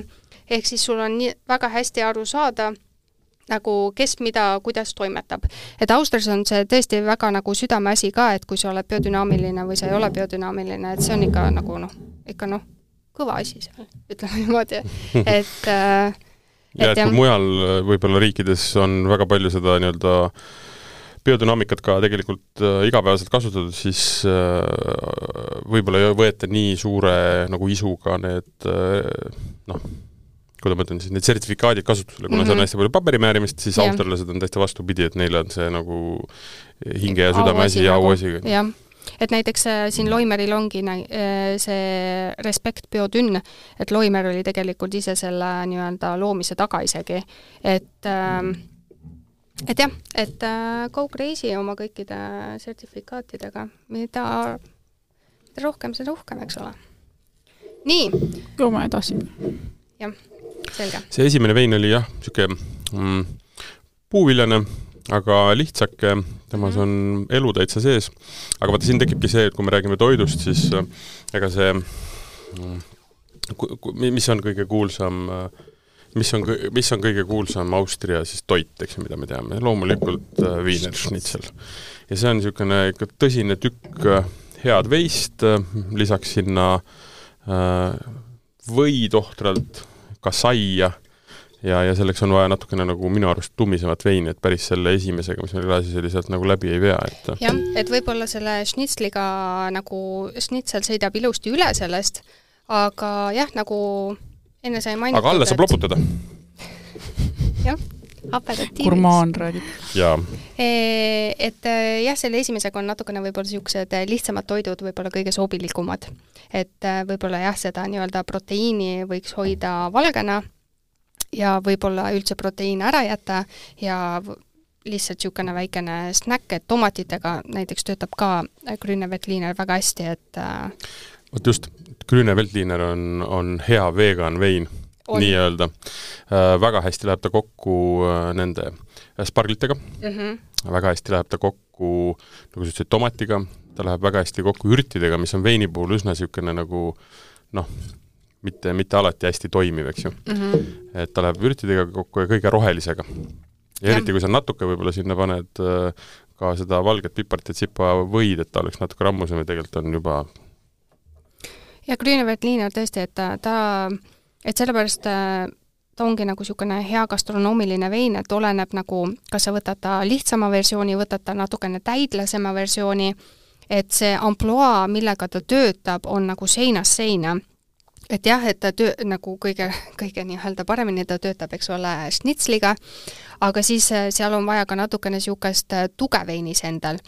ehk siis sul on väga hästi aru saada, nagu kes mida, kuidas toimetab. Et Austrias on see tõesti väga nagu südameasi ka, et kui sa oled biodünaamiline või sa ei ole biodünaamiline, et see on ikka nagu kõva asi seal, ütleme niimoodi. Ja, et kui mujal võib-olla riikides on väga palju seda nii-öelda biodünaamikat ka tegelikult igapäevaselt kasutatud, siis võib-olla ei võeta nii suure nagu isuga need, kuidas ma ütlen, siis need sertifikaadid kasutusele, kuna see on hästi palju paberimäärimist, siis austerlased on täiesti vastupidi, et neil on see nagu hinge ja südame asi ja auasi. Jah, et näiteks siin Loimeril ongi see Respekt biodünn, et Loimer oli tegelikult ise selle nii-öelda loomise taga isegi, et jah, et go crazy oma kõikide sertifikaatidega, mida rohkem, seda uhkem, eks ole. Nii. Jooma edasi. Jah, selge. See esimene vein oli jah, siuke puuviljane, aga lihtsake, temas on elu täitsa sees. Aga vaata, siin tekibki see, et kui me räägime toidust, siis ega see, mis on kõige kuulsam mis on kõige kuulsam Austria siis toit, eks, mida me teame. Loomulikult Wiener Schnitzel. Ja see on niisugune tõsine tükk head veist, lisaks sinna võitohtralt ka saia ja selleks on vaja natukene nagu minu arust tummisemat veini, et päris selle esimesega, mis meil klaasis oli, sealt nagu läbi ei vea. Jah, et võib-olla selle Schnitzliga nagu Schnitzel sõidab ilusti üle sellest, aga jah, nagu enne sai mainitud. Aga alla saab loputada. Jah, aperatiivis. Gurmaan räägib. Jaa. Et jah, selle esimesega on natukene võib-olla siuksed lihtsamad toidud võib-olla kõige sobilikumad. Et võib-olla jah, seda nii-öelda proteiini võiks hoida valgena ja võib-olla üldse proteiin ära jätta ja lihtsalt siukene väikene snäkk, et tomatitega näiteks töötab ka Grüne Veltliner väga hästi, et Vot just, Grüne Veltliner on hea vegan vein, nii öelda. Väga hästi läheb ta kokku nende sparglitega, väga hästi läheb ta kokku nagu ütlesid, tomatiga, ta läheb väga hästi kokku ürtidega, mis on veini puhul üsna siukene nagu mitte alati hästi toimiv, eks ju. Et ta läheb ürtidega kokku ja kõige rohelisega. Ja eriti, kui sa natuke võib-olla sinna paned ka seda valget piparit ja tsipa võid, et ta oleks natuke rammusem ja tegelikult on juba ja Grüne Veltliner tõesti, et sellepärast ta ongi nagu siukene hea gastronoomiline vein, et oleneb nagu, kas sa võtad ta lihtsama versiooni, võtad ta natukene täidlasema versiooni, et see amploa, millega ta töötab, on nagu seinast seina. Et jah, et ta nagu kõige nii-öelda paremini ta töötab, eks ole, Schnitzliga, aga siis seal on vaja ka natukene siukest tugeveinis endal.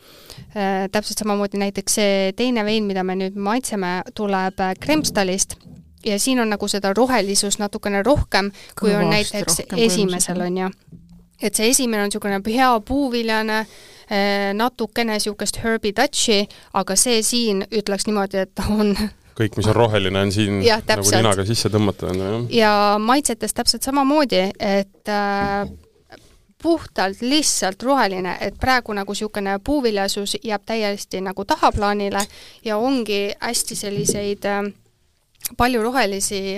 Täpselt samamoodi näiteks see teine vein, mida me nüüd maitseme, tuleb Kremstalist ja siin on nagu seda rohelisust natukene rohkem, kui on näiteks esimesel on ju. Et see esimene on siukene hea puuviljane, natukene siukest herby touchi, aga see siin ütleks niimoodi, et on kõik, mis on roheline, on siin ja, nagu ninaga sisse tõmmata. Ja maitsetes täpselt samamoodi, et puhtalt lihtsalt roheline, et praegu nagu siukene puuviljasus jääb täiesti nagu tahaplaanile ja ongi hästi selliseid palju rohelisi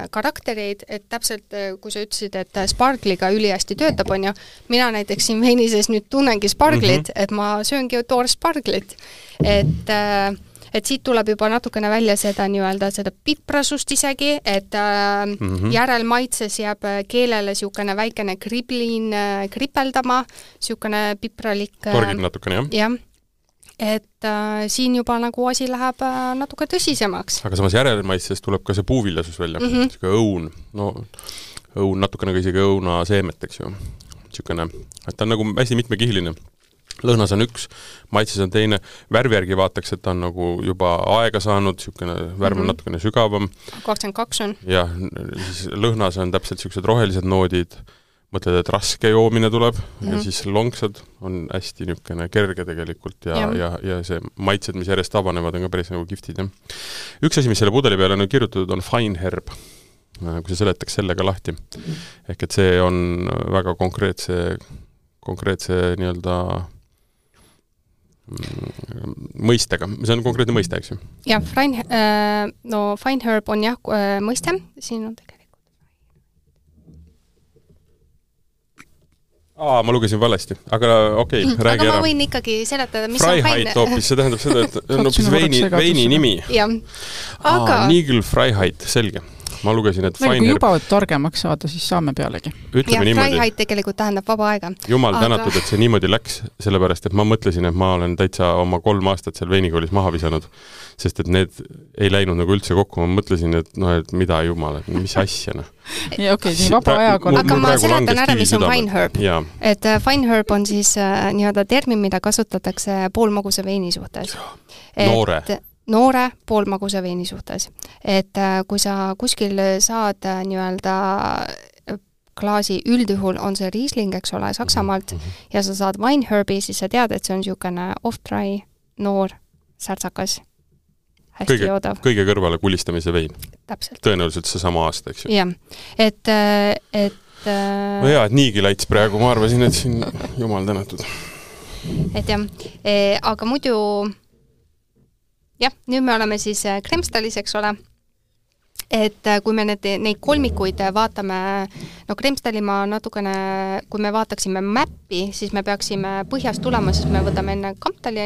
karaktereid, et täpselt, kui sa ütlesid, et spargliga ülihästi töötab, on ju, mina näiteks siin veinises nüüd tunnengi sparglit, et ma sööngi toor sparglit, et et siit tuleb juba natukene välja seda nii-öelda seda piprasust isegi, et järelmaitses jääb keelele siukene väikene kriblin kripeldama, siukene pipralik. Torgib natukene, jah. Et siin juba nagu asi läheb natuke tõsisemaks. Aga samas järelmaitses tuleb ka see puuviljasus välja, siuke õun, õun natukene ka isegi õuna seemet, eks ju. Siukene, et ta on nagu hästi mitmekihiline. Lõhnas on üks, maitses on teine, värvi järgi vaataks, et ta on nagu juba aega saanud, siukene värv on natukene sügavam. 22 on. Jah, siis lõhnas on täpselt siuksed rohelised noodid, mõtled, et raske joomine tuleb ja siis longsad on hästi niisugune kerge tegelikult ja see maitsed, mis järjest avanevad, on ka päris nagu kiftid. Ja. Üks asi, mis selle pudeli peale on kirjutatud, on fine herb, kui see seletaks selle ka lahti. Ehk et see on väga konkreetse nii-öelda mõistega. See on konkreetne mõiste, eks ju? Ja, fine herb on jah mõiste, siin on tegelikult. Ma lugesin valesti, aga okei, räägi ära. Aga ma võin ikkagi seletada, mis Freiheit on fine. Hoopis, see tähendab seda, et on hoopis veini nimi. Jah, aga... Nigel Freiheit, selge. Ma lugesin, et fine herb... Kui juba targemaks saada, siis saame pealegi. Ja, Freiheit tegelikult tähendab vaba aega. Jumal tänatud, et see niimoodi läks, sellepärast, et ma mõtlesin, et ma olen täitsa oma 3 aastat seal veinikoolis maha visanud, sest et need ei läinud nagu üldse kokku. Ma mõtlesin, et mida jumal, et mis asja. Ja, okei, nii vaba ajaga. Aga ma seletan ära, mis on fine herb. Et fine herb on siis nii-öelda termin, mida kasutatakse poolmagusa veini suhtes. Noore poolmaguse veini suhtes. Et kui sa kuskil saad nii-öelda klaasi, üldjuhul on see Riesling, eks ole, Saksamaalt, ja sa saad Weinherbi, siis sa tead, et see on niisugune off-dry, noor, särtsakas, hästi joodav. Kõige kõrvale kulistamise vein. Täpselt. Tõenäoliselt see sama aasta, eks ju. Jah, et no jaa, et niigi laits praegu, ma arvasin, et siin jumal tänatud. Et jah, aga muidu... Jah, nüüd me oleme siis Kremstalis, eks ole, et kui me neid kolmikuid vaatame, Kremstali ma natukene, kui me vaataksime mäppi, siis me peaksime põhjast tulema, siis me võtame enne Kamptali,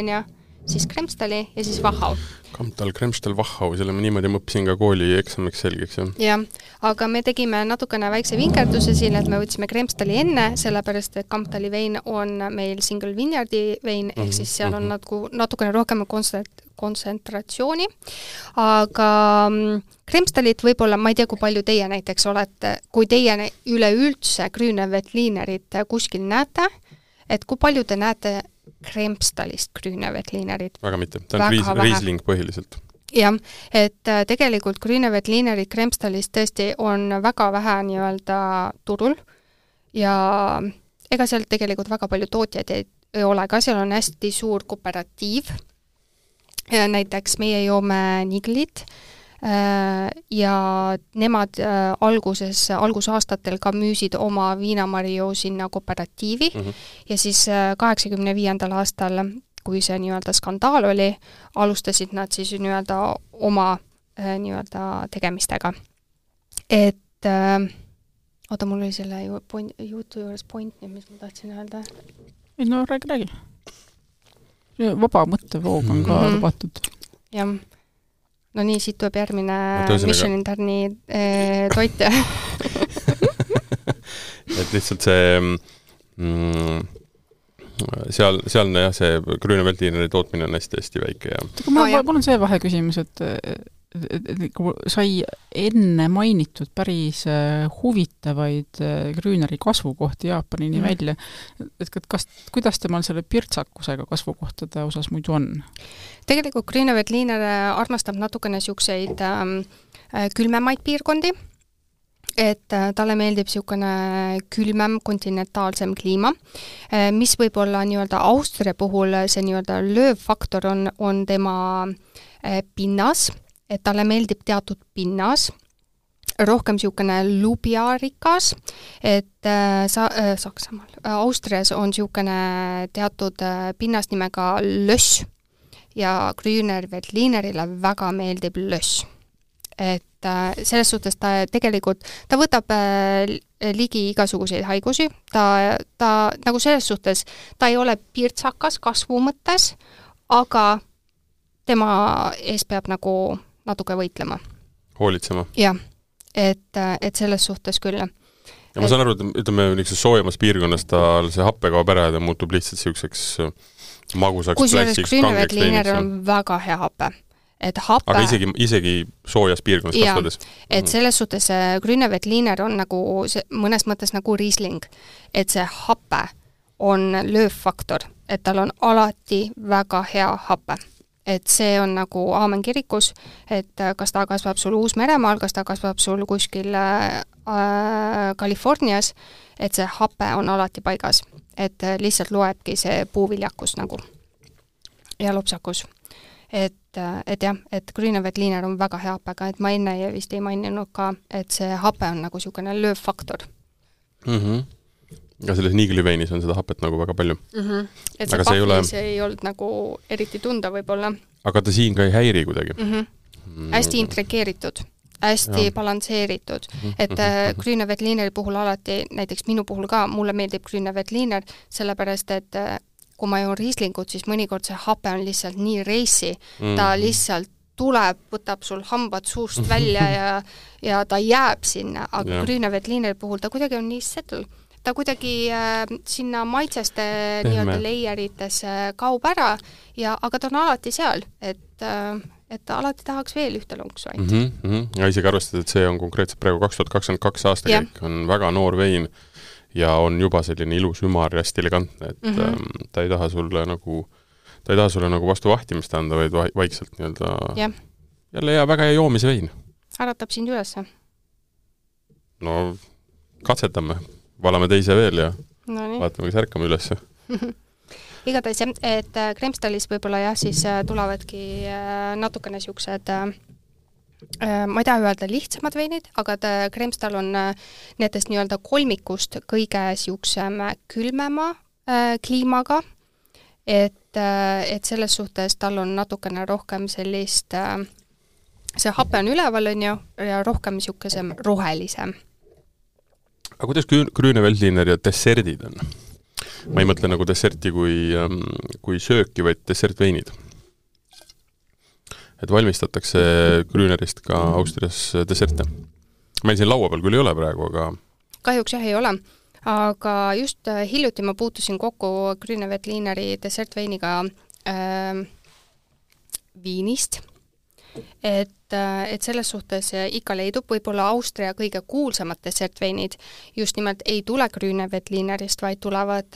siis Kremstali ja siis Wachau. Kamptal, Kremstal, Wachau, selle ma niimoodi mõppisin ka kooli eksamiks selgeks. Jah, aga me tegime natukene väikse vinkerduse siin, et me võtsime Kremstali enne, sellepärast, et Kamptali vein on meil single vineyardi vein, ehk siis seal on natukene rohkem kontsentratsiooni, aga Kremstalit võib-olla, ma ei tea, kui palju teie näiteks olete, kui teie üleüldse Grüneveltlinerit kuskil näete, et kui palju te näete Kremstalist Grüneveltlinerit? Väga mitte, ta on Riesling põhiliselt. Jah, et tegelikult Grüneveltlinerit Kremstalist tõesti on väga vähe nii-öelda turul ja ega seal tegelikult väga palju tootjaid ei ole, ka seal on hästi suur kooperatiiv. Ja näiteks meie joome Nigelit ja nemad algusaastatel ka müüsid oma viinamarju sinna kooperatiivi ja siis 85. aastal, kui see nii-öelda skandaal oli, alustasid nad siis nii-öelda oma nii-öelda tegemistega. Et oota, mul oli selle jutu juures point, mis ma tahtsin öelda. Ei, no räägi. Vaba mõttevoog on ka lubatud. Jah. No nii, siit tuleb järgmine Mission Interni toit. Et lihtsalt see seal jah, see Grüneveltlineri tootmine on hästi väike. Mul on see vaheküsimus, et sai enne mainitud päris huvitavaid Grüneri kasvukohti Jaapanini välja. Et kuidas temal selle pirtsakusega kasvukohtade osas muidu on? Tegelikult Grüneveltliner armastab natukene siukseid külmemaid piirkondi, et talle meeldib siukene külmem kontinentaalsem kliima, mis võib olla nii-öelda Austria puhul see nii-öelda löövfaktor on tema pinnas, et talle meeldib teatud pinnas, rohkem siukene lubjarikas, et Saksamaal, Austrias on siukene teatud pinnas nimega löss ja Grüneveltlinerile väga meeldib löss. Et selles suhtes ta tegelikult, ta võtab ligi igasuguseid haigusi, ta nagu selles suhtes, ta ei ole pirtsakas kasvu mõttes, aga tema ees peab nagu natuke võitlema. Hoolitsema. Jah, et selles suhtes küll. Ja ma saan aru, et ütleme niisuguse soojemas piirkonnas tal see happe kaob ära ja ta muutub lihtsalt niisuguseks magusaks plastiks, kangeks veiniks. On väga hea happe. Et happe... Aga isegi soojas piirkonnas kasvades? Et selles suhtes Grüneveltliner on nagu mõnes mõttes nagu Riesling. Et see happe on löövfaktor, et tal on alati väga hea happe. Et see on nagu aamen kirikus, et kas ta kasvab sul Uus-Meremaal, kas ta kasvab sul kuskil Californias, et see hape on alati paigas. Et lihtsalt loebki see puuviljakus nagu ja lopsakus. Et jah, et Grüneveltliner on väga hea hapega, et ma enne vist ei maininud ka, et see hape on nagu niisugune löövfaktor. Ja selles Niigeli-veinis on seda hapet nagu väga palju. Et see pahvis ei olnud nagu eriti tunda võib-olla. Aga ta siin ka ei häiri kuidagi? Hästi intrigeeritud, hästi balansseeritud. Et Grüneveltlineri puhul alati, näiteks minu puhul ka, mulle meeldib Grüneveltliner, sellepärast, et kui ma joon Rieslingut, siis mõnikord see hape on lihtsalt nii reisi. Ta lihtsalt tuleb, võtab sul hambad suust välja ja ta jääb sinna. Aga Grüneveltlineri puhul ta kuidagi on nii settle. Ta kuidagi sinna maitseste nii-öelda leieritesse kaub ära, aga ta on alati seal, et alati tahaks veel ühte lonksu ainult. Ja isegi arvestades, et see on konkreetselt praegu 2022 aastakäik, on väga noor vein ja on juba selline ilus ümar ja hästi elegantne, et ta ei taha sulle nagu vastu vahtimist anda, vaid vaikselt nii-öelda jälle väga hea joomise vein. Äratab sind üles? No, katsetame. Valame teise veel ja vaatame, kas ärkame üles. Igatahes, et Kremstalis võib-olla siis tulevadki natukene siuksed, ma ei taha öelda lihtsamad veinid, aga Kremstal on nendest nii-öelda kolmikust kõige siuksem külmema kliimaga, et selles suhtes tal on natukene rohkem sellist, see hape on üleval ja rohkem siukesem rohelisem. Aga kuidas Grüneveltliner ja desserdid on? Ma ei mõtle nagu desserti kui sööki, vaid dessertveinid. Et valmistatakse Grünerist ka Austrias desserte. Meil siin laua peal küll ei ole praegu, aga... Kahjuks jah ei ole, aga just hiljuti ma puutusin kokku Grüneveltlineri dessertveiniga Viinist. Et selles suhtes ikka leidub võib-olla Austria kõige kuulsamad dessertveinid just nimelt ei tule Grüneveltlinerist, vaid tulevad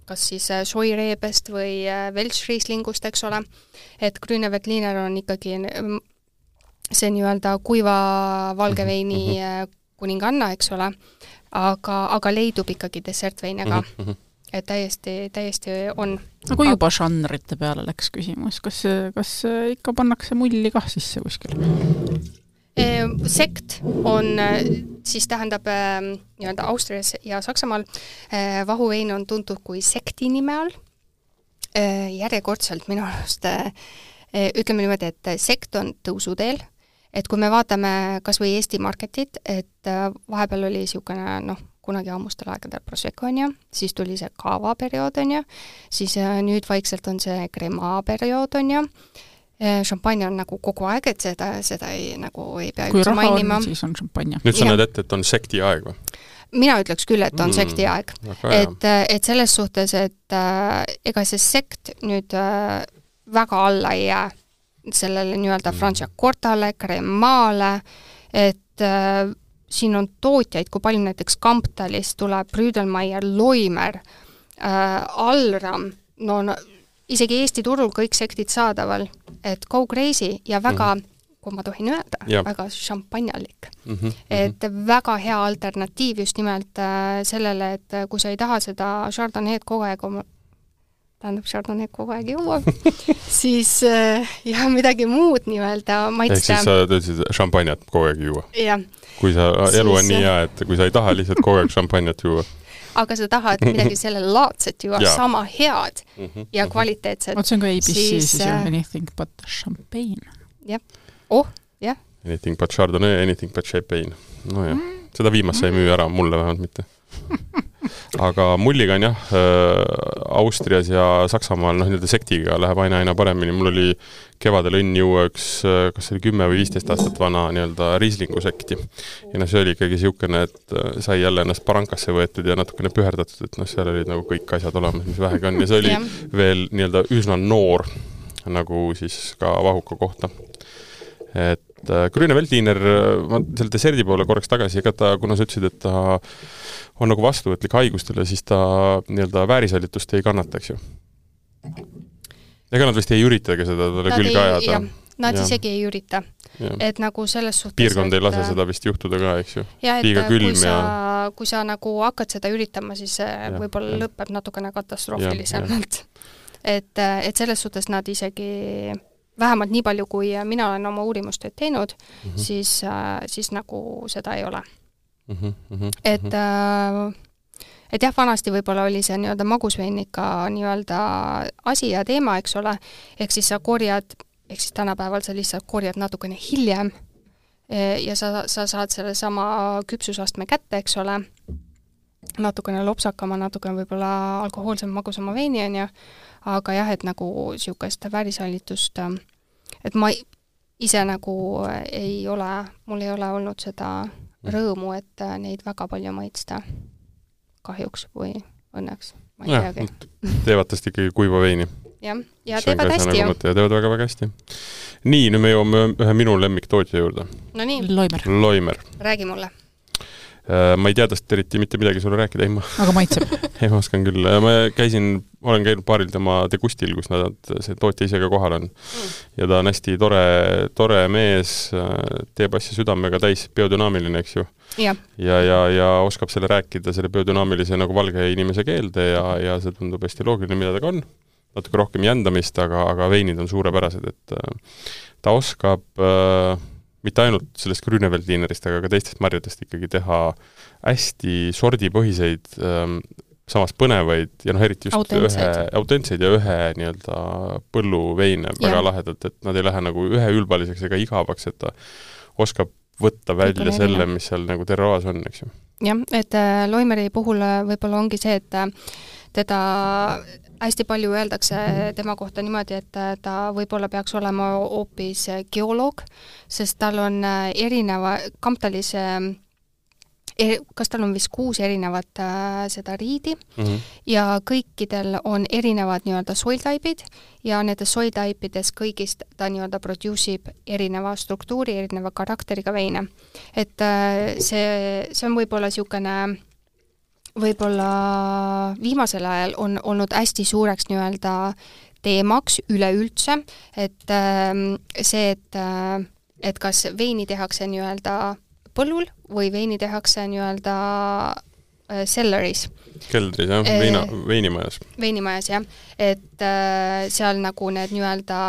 kas siis Scheurебest või Welschrieslingust, eks ole. Et Grüneveltliner on ikkagi see nii-öelda kuiva valgeveini kuninganna, eks ole, aga leidub ikkagi dessertveinega. Et täiesti on. Aga kui juba žanrite peale läks küsimus, kas ikka pannakse mulli kah sisse kuskil? Sekt on, siis tähendab nii-öelda Austrias ja Saksamaal vahuvein on tuntud kui sekti nime all. Järjekordselt minu arust ütleme niimoodi, et sekt on tõusuteel, et kui me vaatame kas või Eesti marketit, et vahepeal oli niisugune, kunagi ammustel aegadel Prosecco on siis tuli see kava periood on siis nüüd vaikselt on see crema periood on šampanja on nagu kogu aeg, et seda ei pea üldse mainima. Kui raha on, siis on šampanja. Nüüd sa näed ette, et on sekti aeg või? Mina ütleks küll, et on sekti aeg. Et selles suhtes, et ega see sekt nüüd väga alla ei jää sellele nii-öelda Franciacortale, cremale, et siin on tootjaid, kui palju näiteks Kamptalist tuleb Brüdelmeier, Loimer, Alram, isegi Eesti turul kõik sektid saadaval, et go crazy ja väga, kui ma tohin öelda, väga šampanjalik. Et väga hea alternatiiv just nimelt sellele, et kui sa ei taha seda Chardonnay'd kogu aeg Chardonnay'd kogu aeg juua, siis midagi muud nii-öelda maitsta. Ehk siis sa töötasid šampanjat kogu aeg juua? Jah. Kui elu on nii hea, et kui sa ei taha lihtsalt kogu aeg šampanjat juua. Aga sa tahad midagi sellele laadset juua, sama head ja kvaliteetset. See on ka ABC, siis anything but champagne. Jah. Jah. Anything but Chardonnay, anything but champagne. No jah, seda viimast sa ei müü ära, mulle vähemalt mitte. aga mulliga on jah, Austrias ja Saksamaal nii-öelda sektiga läheb aina paremini. Mul oli kevadel õnn juua üks, kas oli 10 või 15 aastat vana nii-öelda Rieslingu sekti. Ja see oli ikkagi siukene, et sai jälle ennast parankasse võetud ja natukene püherdatud, et seal olid nagu kõik asjad olemas, mis vähegi on. Ja see oli veel nii-öelda üsna noor nagu siis ka vahuka kohta. Et Grüne Veltliner, ma selle deserdi poole korraks tagasi, ega ta, kuna sa ütlesid, et ta on nagu vastuvõtlik haigustele, siis ta nii-öelda väärisalitust ei kannataks ju. Ega nad vist ei üritagi seda talle külge ajada. Nad isegi ei ürita. Et nagu selles suhtes... Piirkond ei lase seda vist juhtuda ka, eks ju? Ja, et kui sa nagu hakkad seda üritama, siis võib-olla lõpeb natukene katastroofilisemalt. Et selles suhtes nad isegi... vähemalt nii palju, kui mina olen oma uurimustööd teinud, siis nagu seda ei ole. Et jah, vanasti võib-olla oli see nii-öelda magusveinika nii-öelda asi ja teema, eks ole, ehk siis sa korjad, ehk siis tänapäeval sa lihtsalt korjad natukene hiljem ja sa saad selle sama küpsusastme kätte, eks ole, natukene lopsakama, natukene võib-olla alkohoolsem magusama veini on ju, aga jah, et nagu siukest väärisalitust, et ma ise nagu mul ei ole olnud seda rõõmu, et neid väga palju maitsta kahjuks või õnneks, ma ei teagi. Teevad tast ikkagi kuiva veini. Ja teevad hästi ju. Ja teevad väga hästi. Nii, nüüd me jõuame ühe minu lemmiktootja juurde. No nii. Loimer. Räägi mulle. Ma ei tea tast eriti mitte midagi sulle rääkida, aga maitseb. Ei, ma oskan küll. Ma olen käinud paaril tema degustil, kus see tootja ise ka kohal on. Ja ta on hästi tore mees, teeb asja südamega täis, biodünaamiline, eks ju. Ja oskab selle rääkida, selle biodünaamilise nagu valge inimese keelde ja see tundub hästi loogiline, mida ta on. Natuke rohkem jändamist, aga veinid on suurepärased, et ta oskab... mitte ainult sellest Grüne Veltlinerist, aga ka teistest marjadest ikkagi teha hästi sordipõhiseid, samas põnevaid ja eriti just autentseid ja ühe nii-öelda põlluveine väga lahedalt, et nad ei lähe nagu ühe ülbaliseks ega igavaks, et ta oskab võtta välja selle, mis seal nagu terroas on, eks ju. Jah, et Loimeri puhul võib-olla ongi see, et teda hästi palju öeldakse tema kohta niimoodi, et ta võib-olla peaks olema hoopis geoloog, sest tal on Kamptalis, kas tal on vist 6 erinevat seda riidi ja kõikidel on erinevad nii-öelda soiltaipid ja nendes soiltaipides kõigist ta nii-öelda produce'ib erineva struktuuri, erineva karakteriga veine. Et see on võib-olla siukene võib-olla viimasel ajal on olnud hästi suureks nii-öelda teemaks üleüldse, et see, et kas veini tehakse nii-öelda põllul või veini tehakse nii-öelda cellaris. Keldris, jah, veinimajas. Veinimajas, jah. Et seal nagu need nii-öelda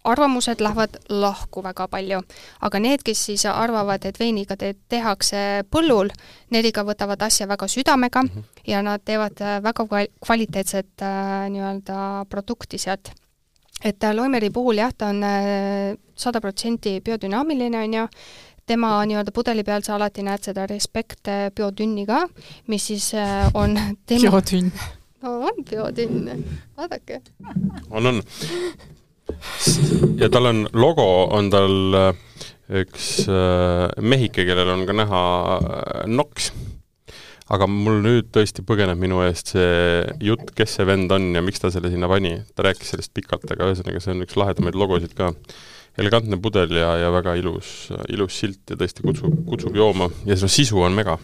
arvamused lähevad lahku väga palju, aga need, kes siis arvavad, et veiniga tehakse põllul, need ikka võtavad asja väga südamega ja nad teevad väga kvaliteetset nii-öelda produkti sealt. Et Loimeri puhul jah, ta on 100% biodünaamiline on ju, tema nii-öelda pudeli peal sa alati näed seda respekt biodünni ka, mis siis on tema... Biodünn. No on biodünn, vaadake. On. Ja tal on logo, on tal üks mehike, kellel on ka näha noks. Aga mul nüüd tõesti põgeneb minu eest see jutt, kes see vend on ja miks ta selle sinna pani. Ta rääkis sellest pikalt, aga ühesõnaga see on üks lahedamaid logosid ka. Elegantne pudel ja väga ilus silt ja tõesti kutsub jooma. Ja see sisu on mega.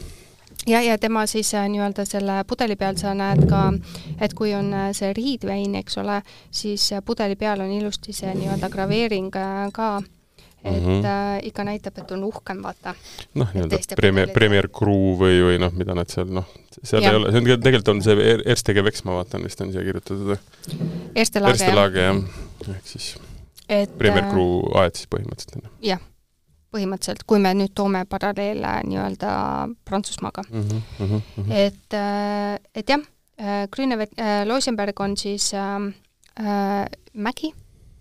Ja tema siis nii-öelda selle pudeli peal sa näed ka, et kui on see riidvein, eks ole, siis pudeli peal on ilusti see nii-öelda graveering ka, et ikka näitab, et on uhkem, vaata. Noh, nii-öelda Premier Crew või mida nad seal, seal ei ole, see on tegelikult on see Erste Gewächs, ma vaatan, vist on siia kirjutatud. Erste Lage, jah. Ehk siis Premier Crew aed siis põhimõtteliselt. Jah. Põhimõtteliselt, kui me nüüd toome paralleele nii-öelda Prantsusmaaga. Et jah, Loisenberg on siis mägi,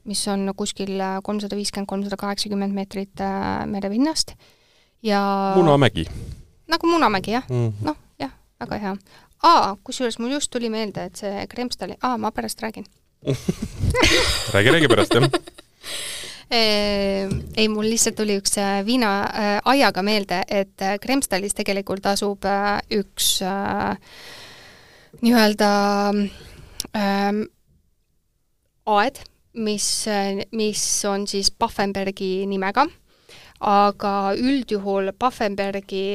mis on kuskil 350-380 meetrit merepinnast. Ja... Munamägi. Nagu Munamägi, jah. Noh, jah. väga hea. Kusjuures mul just tuli meelde, et see Kremstali, ma pärast räägin. räägi pärast, jah. Ei, mul lihtsalt tuli üks viina aiaga meelde, et Kremstalis tegelikult asub üks nii-öelda aed, mis on siis Paffenbergi nimega, aga üldjuhul Paffenbergi,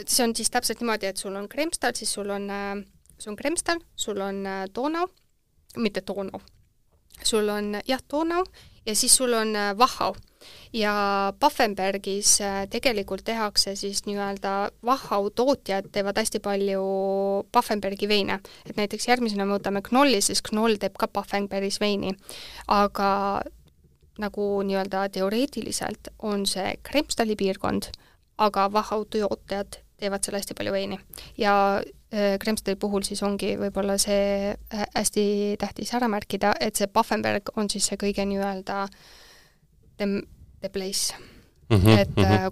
see on siis täpselt niimoodi, et sul on Kremstal, siis sul on Kremstal, sul on Donau, mitte Donau, sul on Donau ja siis sul on Wachau. Ja Paffenbergis tegelikult tehakse siis nii-öelda Wachau tootjad teevad hästi palju Paffenbergi veine. Et näiteks järgmisena me võtame Knolli, siis Knoll teeb ka Paffenbergis veini. Aga nagu nii-öelda teoreetiliselt on see Kremstali piirkond, aga Wachau tootjad teevad seal hästi palju veini. Ja Kremstali puhul siis ongi võib-olla see hästi tähtis ära märkida, et see Paffenberg on siis see kõige nii-öelda the place.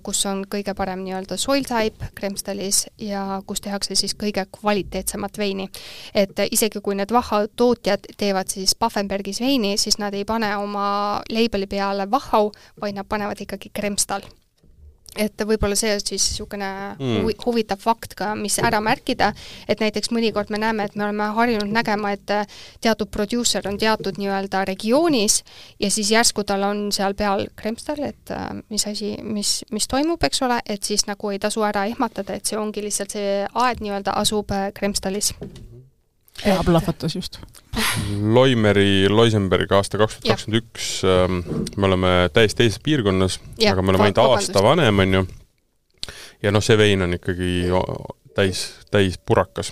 Kus on kõige parem nii-öelda soil type Kremstalis ja kus tehakse siis kõige kvaliteetsemat veini. Et isegi kui need Wachau tootjad teevad siis Paffenbergis veini, siis nad ei pane oma labeli peale Wachau, vaid nad panevad ikkagi Kremstal. Et võib-olla see on siis niisugune huvitav fakt ka, mis ära märkida, et näiteks mõnikord me näeme, et me oleme harjunud nägema, et teatud producer on teatud nii-öelda regioonis ja siis järsku tal on seal peal Kremstal, et mis toimub, eks ole, et siis nagu ei tasu ära ehmatada, et see ongi lihtsalt see aed nii-öelda asub Kremstalis. Hea plahvatas just. Loisenberg aasta 2021, me oleme täiesti teises piirkonnas, aga me oleme ainult aasta vanem, on ju. Ja see vein on ikkagi täis purakas.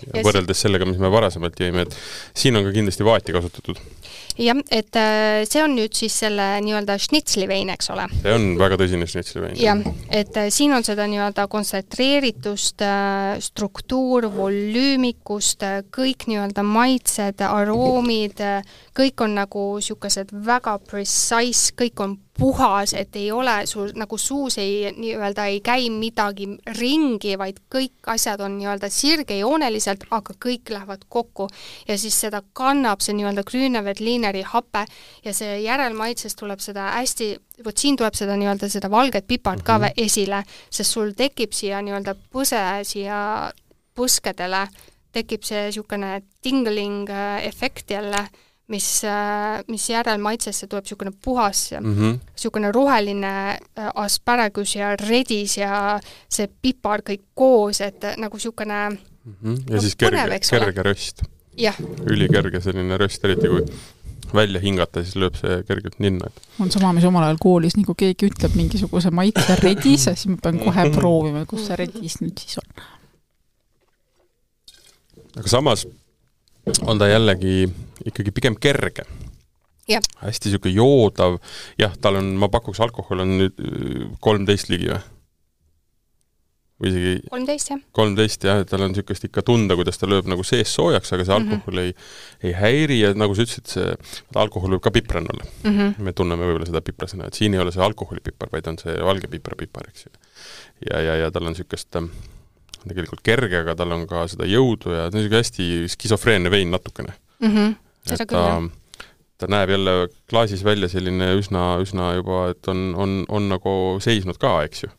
Ja võrreldes sellega, mis me varasemalt jõime, et siin on ka kindlasti vaati kasutatud. Jah, et see on nüüd siis selle nii-öelda šnitslivein, eks ole. See on väga tõsine šnitslivein. Jah, et siin on seda nii-öelda kontsentreeritust, struktuur, volüümikust, kõik nii-öelda maitsed, aroomid, kõik on nagu siukesed väga precise, kõik on puhas, et ei ole sul nagu suus nii-öelda ei käi midagi ringi, vaid kõik asjad on nii-öelda sirgejooneliselt, aga kõik lähevad kokku ja siis seda kannab see nii-öelda Grüneveltlineri hape ja see järelmaitses tuleb seda hästi, siin tuleb seda nii-öelda seda valget pipart ka esile, sest sul tekib siia nii-öelda põse siia põskedele, tekib see niisugune tingling efekt jälle, mis järelmaitsesse tuleb niisugune puhas, niisugune roheline asparagus ja redis ja see pipar kõik koos, et nagu niisugune ja siis kerge röst. Ülikerge selline röst, eriti kui välja hingata, siis lööb see kergelt ninna. On sama, mis omal ajal koolis, nagu keegi ütleb mingisuguse maitse redis, siis ma pean kohe proovima, kus see redis nüüd siis on. Aga samas on ta jällegi ikkagi pigem kerge. Ja. Hästi siuke joodav. Jah, tal on, ma pakuks, alkohol on nüüd 13 ligi või? Või isegi 13, jah. 13, jah, tal on siukest ikka tunda, kuidas ta lööb nagu sees soojaks, aga see alkohol ei häiri ja nagu sa ütlesid, see alkohol võib ka pipran olla. Me tunneme võib-olla seda piprasena, et siin ei ole see alkoholipipar, vaid on see valge pipar, eks ju. Ja tal on siukest tegelikult kerge, aga tal on ka seda jõudu ja ta on hästi skisofreenne vein natukene. Ta näeb jälle klaasis välja selline üsna juba, et on nagu seisnud ka, eks ju.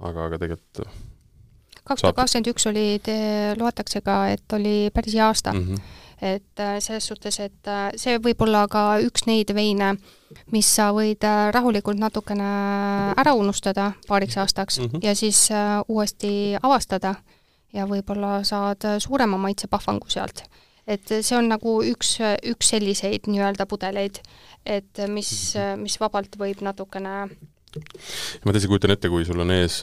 Aga tegelikult 2021 loetakse ka, et oli päris hea aasta. Et selles suhtes, et see võib olla ka üks neid veine, mis sa võid rahulikult natukene ära unustada paariks aastaks ja siis uuesti avastada ja võib-olla saad suurema maitsepahvangu sealt. Et see on nagu üks selliseid nii-öelda pudeleid, et mis vabalt võib natukene... Ma tõesti kujutan ette, kui sul on ees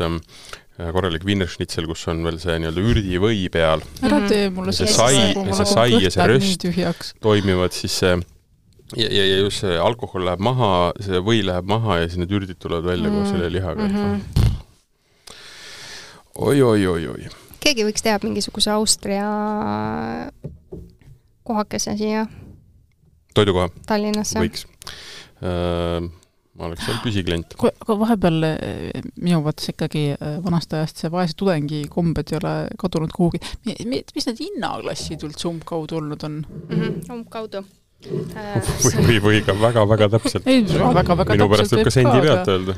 korralik Wienerschnitzel, kus on veel see nii-öelda ürdivõi peal. Ära tee mulle see sai ja see röst toimivad, siis see ja just see alkohol läheb maha, see või läheb maha ja siis need ürdid tulevad välja koos selle lihaga. Oi. Keegi võiks teha mingisuguse Austria kohakese siia toidukoha? Tallinnasse. Võiks. ma oleks seal püsiklient. Aga vahepeal minu vaates ikkagi vanast ajast see vaese tudengi kombed ei ole kadunud kuhugi. Mis need hinnaklassid üldse umbkaudu olnud on? Umbkaudu. Või ka väga täpselt. Ei, väga minu pärast võib ka sendi pealt öelda.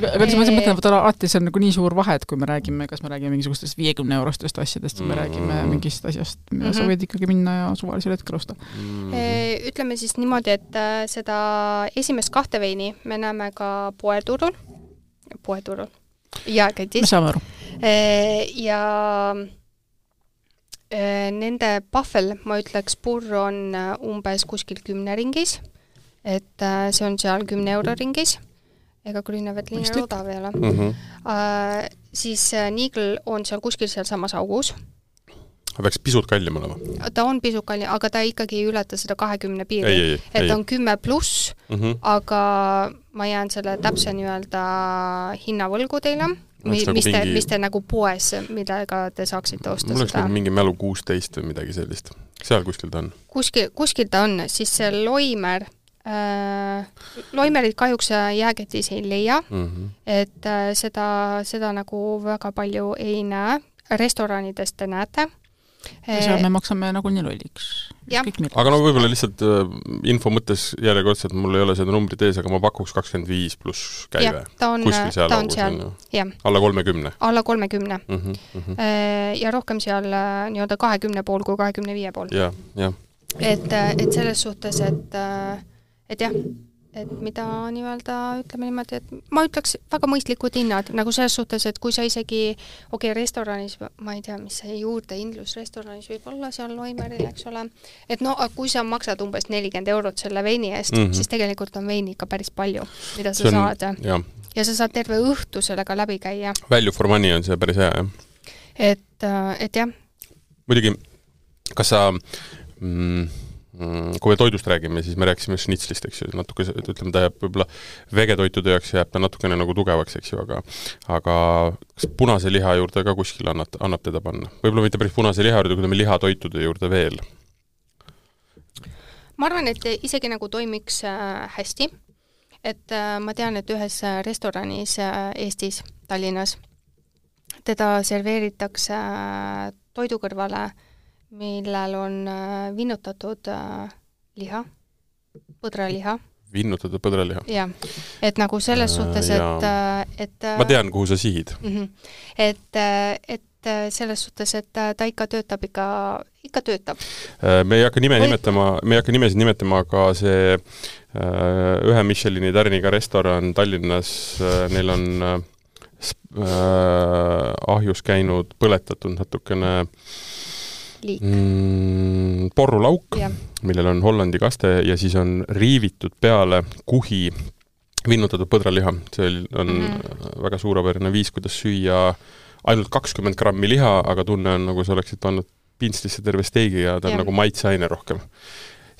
Aga siis ma mõtlen, et alati see on nagu nii suur vahe, et kui me räägime, kas me räägime mingisugustest 50 eurostest asjadest, me räägime mingist asjast, mida sa võid ikkagi minna ja suvalisel hetkel osta. Ütleme siis niimoodi, et seda esimest 2 veini me näeme ka poeturul ja kätis. Me saame aru. Ja nende pahvel, ma ütleks, purr on umbes kuskil 10 ringis, et see on seal 10 euro ringis, ega Grünevetliner odav ei ole. Siis Niigel on seal kuskil seal samas augus. Peaks pisut kallim olema? Ta on pisut kallim, aga ta ikkagi ei ületa seda 20 piiri. Et on 10 pluss, aga ma jään selle täpse hinnavõlgu teile. Mis te nagu poes, millega te saaksite osta seda? Mul oleks nagu mingi mälu 16 või midagi sellist. Seal kuskil ta on? Kuskil ta on, siis see Loimer, Loimerit kahjuks jääketis ei leia, et seda nagu väga palju ei näe. Restoranidest te näete. Ja seal me maksame nagu nii lolliks. Aga no võib-olla lihtsalt info mõttes järjekordselt, mul ei ole seda numbrit ees, aga ma pakuks 25 pluss käive. Ta on seal. Alla 30. Alla 30. Ja rohkem seal 20 pool kui 25 pool. Et selles suhtes, et jah, et mida ütleme niimoodi, et ma ütleks väga mõistlikud hinnad, nagu selles suhtes, et kui sa isegi, restoranis, ma ei tea, mis see juurdehindlus restoranis võib olla seal Loimeril, eks ole, et kui sa maksad umbes 40 eurot selle veini eest, siis tegelikult on veini ikka päris palju, mida sa saad. Ja sa saad terve õhtu sellega läbi käia. Value for money on see päris hea, jah? Et jah. Muidugi, kas sa... kui me toidust räägime, siis me rääkisime schnitslist, eks ju, natuke, ütleme, ta jääb võib-olla vegetoitude jaoks jääb ta natukene nagu tugevaks, eks ju, aga kas punase liha juurde ka kuskil annab teda panna? Võib-olla mitte päris punase liha juurde, kui me lihatoitude juurde veel? Ma arvan, et isegi nagu toimiks hästi, et ma tean, et ühes restoranis Eestis, Tallinnas, teda serveeritakse toidu kõrvale, millel on vinnutatud liha, põdraliha. Vinnutatud põdraliha? Jah, et nagu selles suhtes, et ma tean, kuhu sa sihid. Et selles suhtes, et ta ikka töötab. Me ei hakka nimesid nimetama, aga see ühe Michelini tärniga restoran Tallinnas, neil on ahjus käinud, põletatud natukene porrulauk, millel on Hollandi kaste ja siis on riivitud peale kuhi vinnutatud põdraliha. See on väga suurepärane viis, kuidas süüa ainult 20 grammi liha, aga tunne on nagu sa oleksid pannud pintslisse terve steigi ja ta on nagu maitseaine rohkem.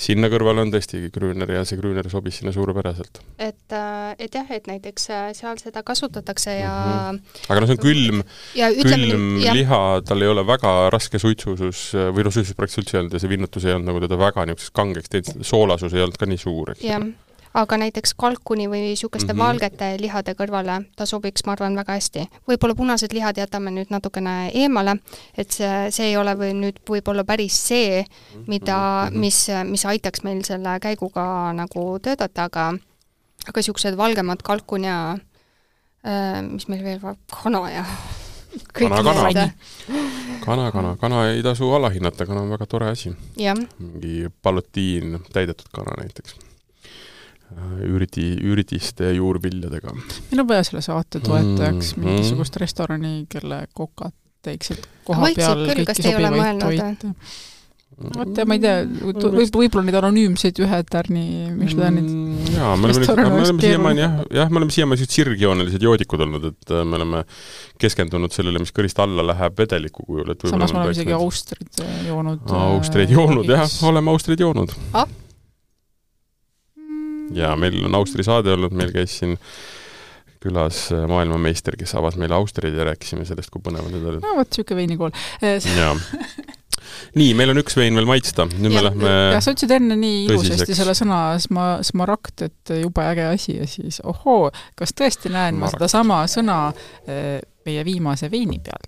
Sinna kõrval on tõesti Grüner ja see Grüner sobis sinna suurepäraselt. Et näiteks seal seda kasutatakse ja... Aga no see on külm liha, tal ei ole väga raske suitsusus, või suitsus praktiliselt üldse ei olnud ja see vinnutus ei olnud nagu teda väga niisuguseks kangeks teinud, soolasus ei olnud ka nii suur, eks. Jah, aga näiteks kalkuni või sükeste valgete lihade kõrvale ta sobiks, ma arvan, väga hästi. Võib-olla punased lihad jätame nüüd natukene eemale, et see ei ole nüüd võib-olla päris see, mis aitaks meil selle käiguga nagu töötada, aga siuksed valgemad kalkun ja mis meil veel var, kana ja Kana ei tasu alahinnata, kana on väga tore asi. Mingi palotiin täidetud kana näiteks. Üritiste juurviljadega. Meil on vaja selle saate toetajaks mingisugust restorani, kelle kokad teeksid koha peal kõiki sobivaid toite. Ma ei tea, võib-olla neid anonüümseid ühe tärni Michelinid. Jaa, me oleme siiamaani sirgjoonelised joodikud olnud, et me oleme keskendunud sellele, mis kõrist alla läheb vedeliku kujul. Samas me oleme isegi austrid joonud. Austrid joonud, jah, oleme austrid joonud. Ja meil on Austri saade olnud, meil käis siin külas maailmameister, kes avas meile Austrid ja rääkisime sellest, kui põnevad need olid. No, võt, siuke veinikool. nii, meil on üks vein veel maitsta. Nüüd me lähme ja sa ütlesid enne nii ilusasti selle sõna smaragd, et jube äge asi ja siis kas tõesti näen ma seda sama sõna meie viimase veini peal?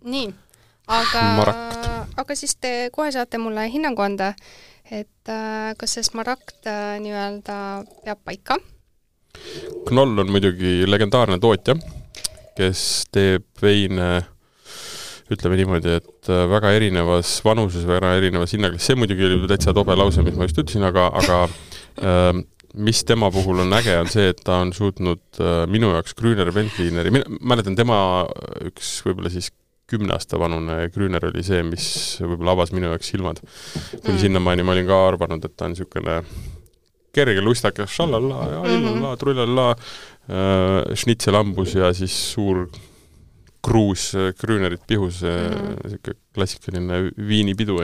Nii, aga siis te kohe saate mulle hinnangu anda, et kas see smaragd nii-öelda peab paika? Knoll on muidugi legendaarne tootja, kes teeb veine ütleme niimoodi, et väga erinevas vanuses, väga erinevas hinnaklassis. See muidugi oli täitsa tobe lause, mis ma just ütlesin, aga mis tema puhul on äge, on see, et ta on suutnud minu jaoks Grüner Veltlineri, mäletan tema üks võib-olla siis 10 aasta vanune Grüner oli see, mis võib-olla avas minu jaoks silmad. Kuni sinnamaani ma olin ka arvanud, et ta on niisugune kerge lustakas, šallalla ja illalla, trullalla, schnitzelambus ja siis suur kruus Grünerit pihus, klassikaline viinipidu,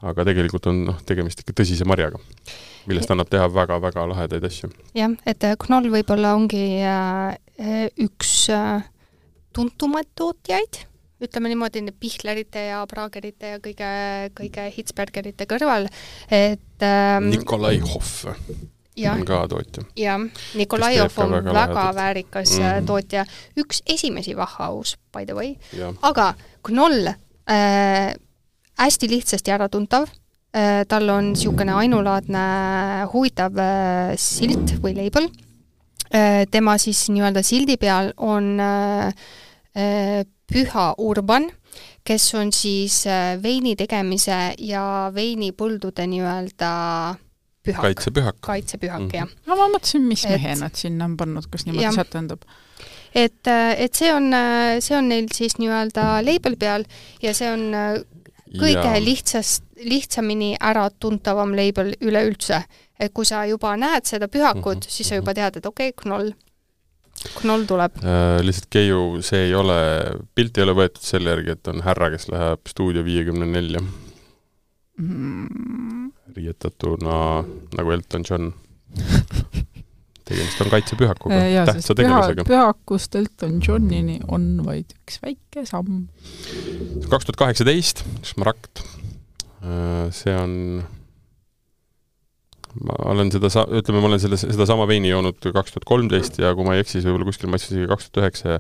aga tegelikult on tegemist ikka tõsise marjaga, millest annab teha väga-väga lahedaid asju. Jah, et Knoll võib-olla ongi üks tuntumaid tootjaid, ütleme niimoodi Pichlerite ja Pragerite ja kõige Hitzbergerite kõrval, et Nikolai Hoff on ka tootja. Jah, Nikolajov on väga väärikas tootja. Üks esimesi Wachhaus, by the way. Aga Knoll hästi lihtsasti äratuntav. Tal on niisugune ainulaadne huvitav silt või label. Tema siis nii-öelda sildi peal on Püha Urban, kes on siis veini tegemise ja veinipõldude nii-öelda Kaitsepühak, jah. No ma mõtlesin, mis mehe nad sinna on pannud, kas niimoodi sätendab. Et see on neil siis nii-öelda label peal ja see on kõige lihtsamini ära tuntavam label üleüldse. Et kui sa juba näed seda pühakut, siis sa juba tead, et okei, Knoll tuleb. Lihtsalt Keiu, see ei ole, pilt ei ole võetud selle järgi, et on härra, kes läheb Stuudio 54. Riietatuna nagu Elton John. Tegemist on kaitsepühakuga, tähtsa tegemisega. Pühakust Elton Johnini on vaid üks väike samm. 2018, Smaragd. See on ma olen seda sama veini joonud 2013 ja kui ma ei eksi, võib-olla kuskil ma eksisin 2009 ja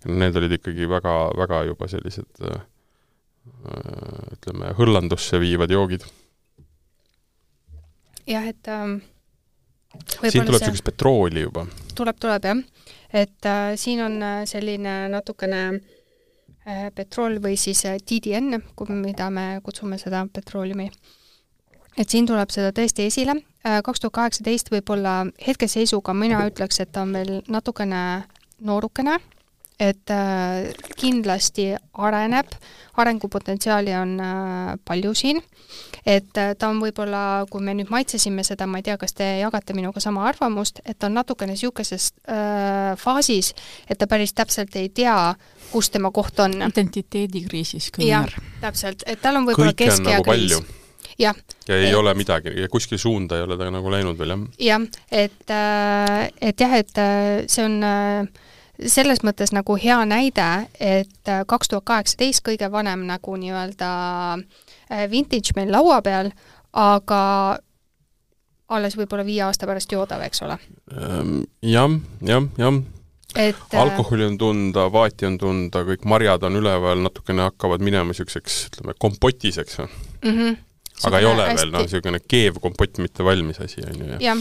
need olid ikkagi väga, väga juba sellised ütleme, hõllandusse viivad joogid. Jah, et siin tuleb sellist petrooli juba. Tuleb, jah. Et siin on selline natukene petrool või siis TDN, mida me kutsume seda petrooliumi. Et siin tuleb seda tõesti esile. 2018 võib-olla hetkeseisuga mina ütleks, et ta on veel natukene noorukene, et kindlasti arengupotentsiaali on palju siin, et ta on võib-olla, kui me nüüd maitsesime seda, ma ei tea, kas te jagate minuga sama arvamust, et ta on natukene niisukeses faasis, et ta päris täpselt ei tea, kus tema koht on. Identiteedikriisis kõnner. Jah, täpselt, et tal on võib-olla keskea kriis. Ja ei ole midagi, ja kuskil suunda ei ole ta nagu läinud veel, jah? Jah, et see on selles mõttes nagu hea näide, et 2018 kõige vanem nagu nii-öelda vintage meil laua peal, aga alles võib-olla 5 aasta pärast joodav, eks ole? Jah. Alkoholi on tunda, vaati on tunda, kõik marjad on üleval, natukene hakkavad minema niisuguseks, ütleme, kompotiseks. Aga ei ole veel, niisugune keev kompott, mitte valmis asi, on ju. Ja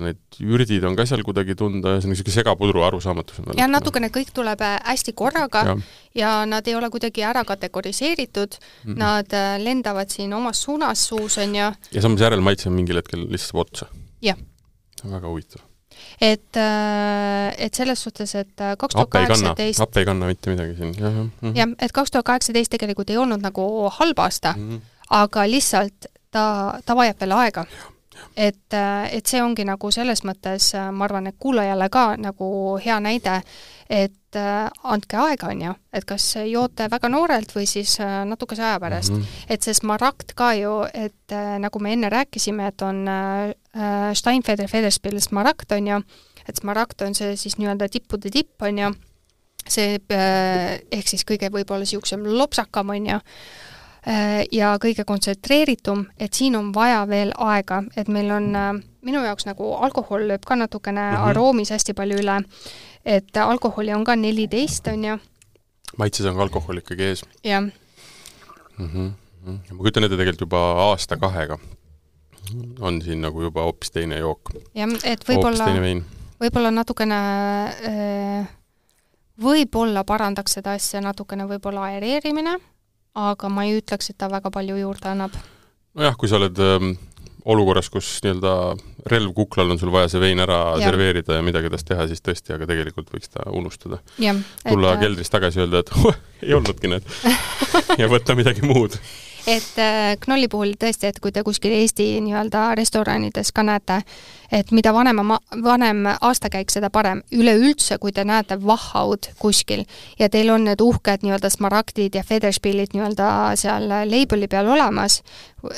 need ürdid on ka seal kuidagi tunda, see on niisugune segapudru arusaamatus. Ja natukene kõik tuleb hästi korraga ja nad ei ole kuidagi ära kategoriseeritud, nad lendavad siin omas suunas suus, on ju. Ja samas järelmaitse on mingil hetkel lihtsalt otsa. Jah. Väga huvitav. Et selles suhtes, et 2018... Appe ei kanna mitte midagi siin. Jah, et 2018 tegelikult ei olnud nagu halb aasta, aga lihtsalt ta vajab veel aega. Et see ongi nagu selles mõttes, ma arvan, et kuulajale ka nagu hea näide, et andke aega, on ju, et kas joote väga noorelt või siis natukese aja pärast. Et see Smaragd ka ju, et nagu me enne rääkisime, et on Steinfeder Federspiel Smaragd, on ju, et Smaragd on see siis nii-öelda tippude tipp, on ju, see ehk siis kõige võib-olla siuksem lopsakam on ja kõige kontsentreeritum, et siin on vaja veel aega, et meil on minu jaoks nagu alkohol lööb ka natukene aroomis hästi palju üle, et alkoholi on ka 14, on ju. Maitses on ka alkohol ikkagi ees. Jah. Ma kujutan ette tegelikult juba aasta-kahega on siin nagu juba hoopis teine jook. Jah, et võib-olla natukene võib-olla parandaks seda asja natukene võib-olla aereerimine, aga ma ei ütleks, et ta väga palju juurde annab. Nojah, kui sa oled olukorras, kus nii-öelda relv kuklal on sul vaja see vein ära serveerida ja midagi tast teha, siis tõesti, aga tegelikult võiks ta unustada. Tulla keldrist tagasi öelda, et ei olnudki need ja võtta midagi muud. Et Knolli puhul tõesti, et kui te kuskil Eesti nii-öelda restoranides ka näete, et mida vanem aastakäik, seda parem. Üleüldse, kui te näete Wachhaud kuskil ja teil on need uhked nii-öelda smaragdid ja Federspillid nii-öelda seal labeli peal olemas,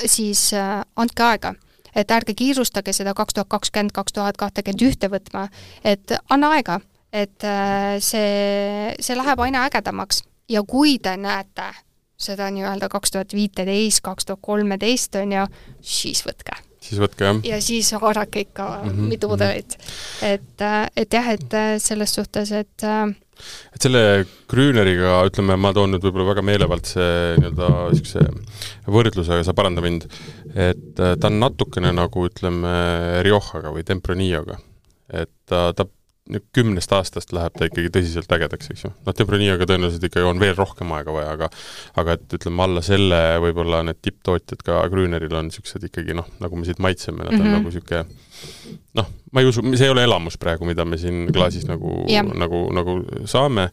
siis andke aega. Et ärge kiirustage seda 2020-2021 võtma, et anna aega, et see läheb aina ägedamaks ja kui te näete seda nii-öelda 2015, 2013 on ja siis võtke. Siis võtke, jah. Ja siis haarake ikka mitu pudelit. Et jah, et selles suhtes, et selle Grüneriga, ütleme, ma toon nüüd võib-olla väga meelevaldse nii-öelda võrdlusega, sa paranda mind, et ta on natukene nagu, ütleme, Riojaga või Tempranilloga. Et ta 10 aastast läheb ta ikkagi tõsiselt ägedaks, eks ju. Tempraniaga tõenäoliselt ikkagi on veel rohkem aega vaja, aga et ütleme alla selle võib-olla need tipptootjad ka Grüneril on siuksed ikkagi, nagu me siit maitseme, nad on nagu siuke, ma ei usu, see ei ole elamus praegu, mida me siin klaasis nagu saame.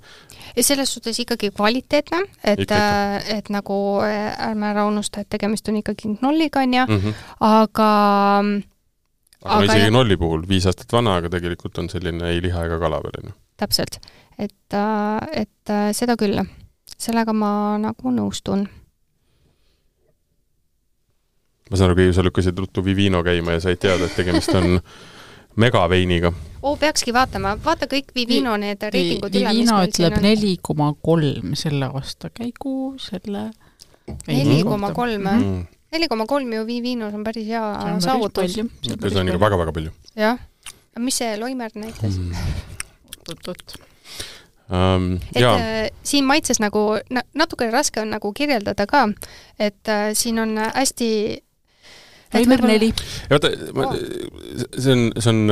Ja selles suhtes ikkagi kvaliteetne, et nagu ärme ära unusta, et tegemist on ikkagi Knolliga, aga isegi Knolli puhul 5 aastat vana, aga tegelikult on selline ei liha ega kala veel. Täpselt. Et seda küll. Sellega ma nagu nõustun. Ma saan aru, sa lükkasid ruttu Vivino käima ja said teada, et tegemist on megaveiniga. Peakski vaatama. Vaata kõik Vivino need reitingud üle. Vivino ütleb 4,3 selle aasta käigu, selle 4,3 4,3 ju Vivinos on päris hea saavutus. See on ikka väga-väga palju. Jah. Mis see Loimer näitas? Siin maitses nagu, natuke raske on nagu kirjeldada ka, et siin on hästi Loimer 4. See on,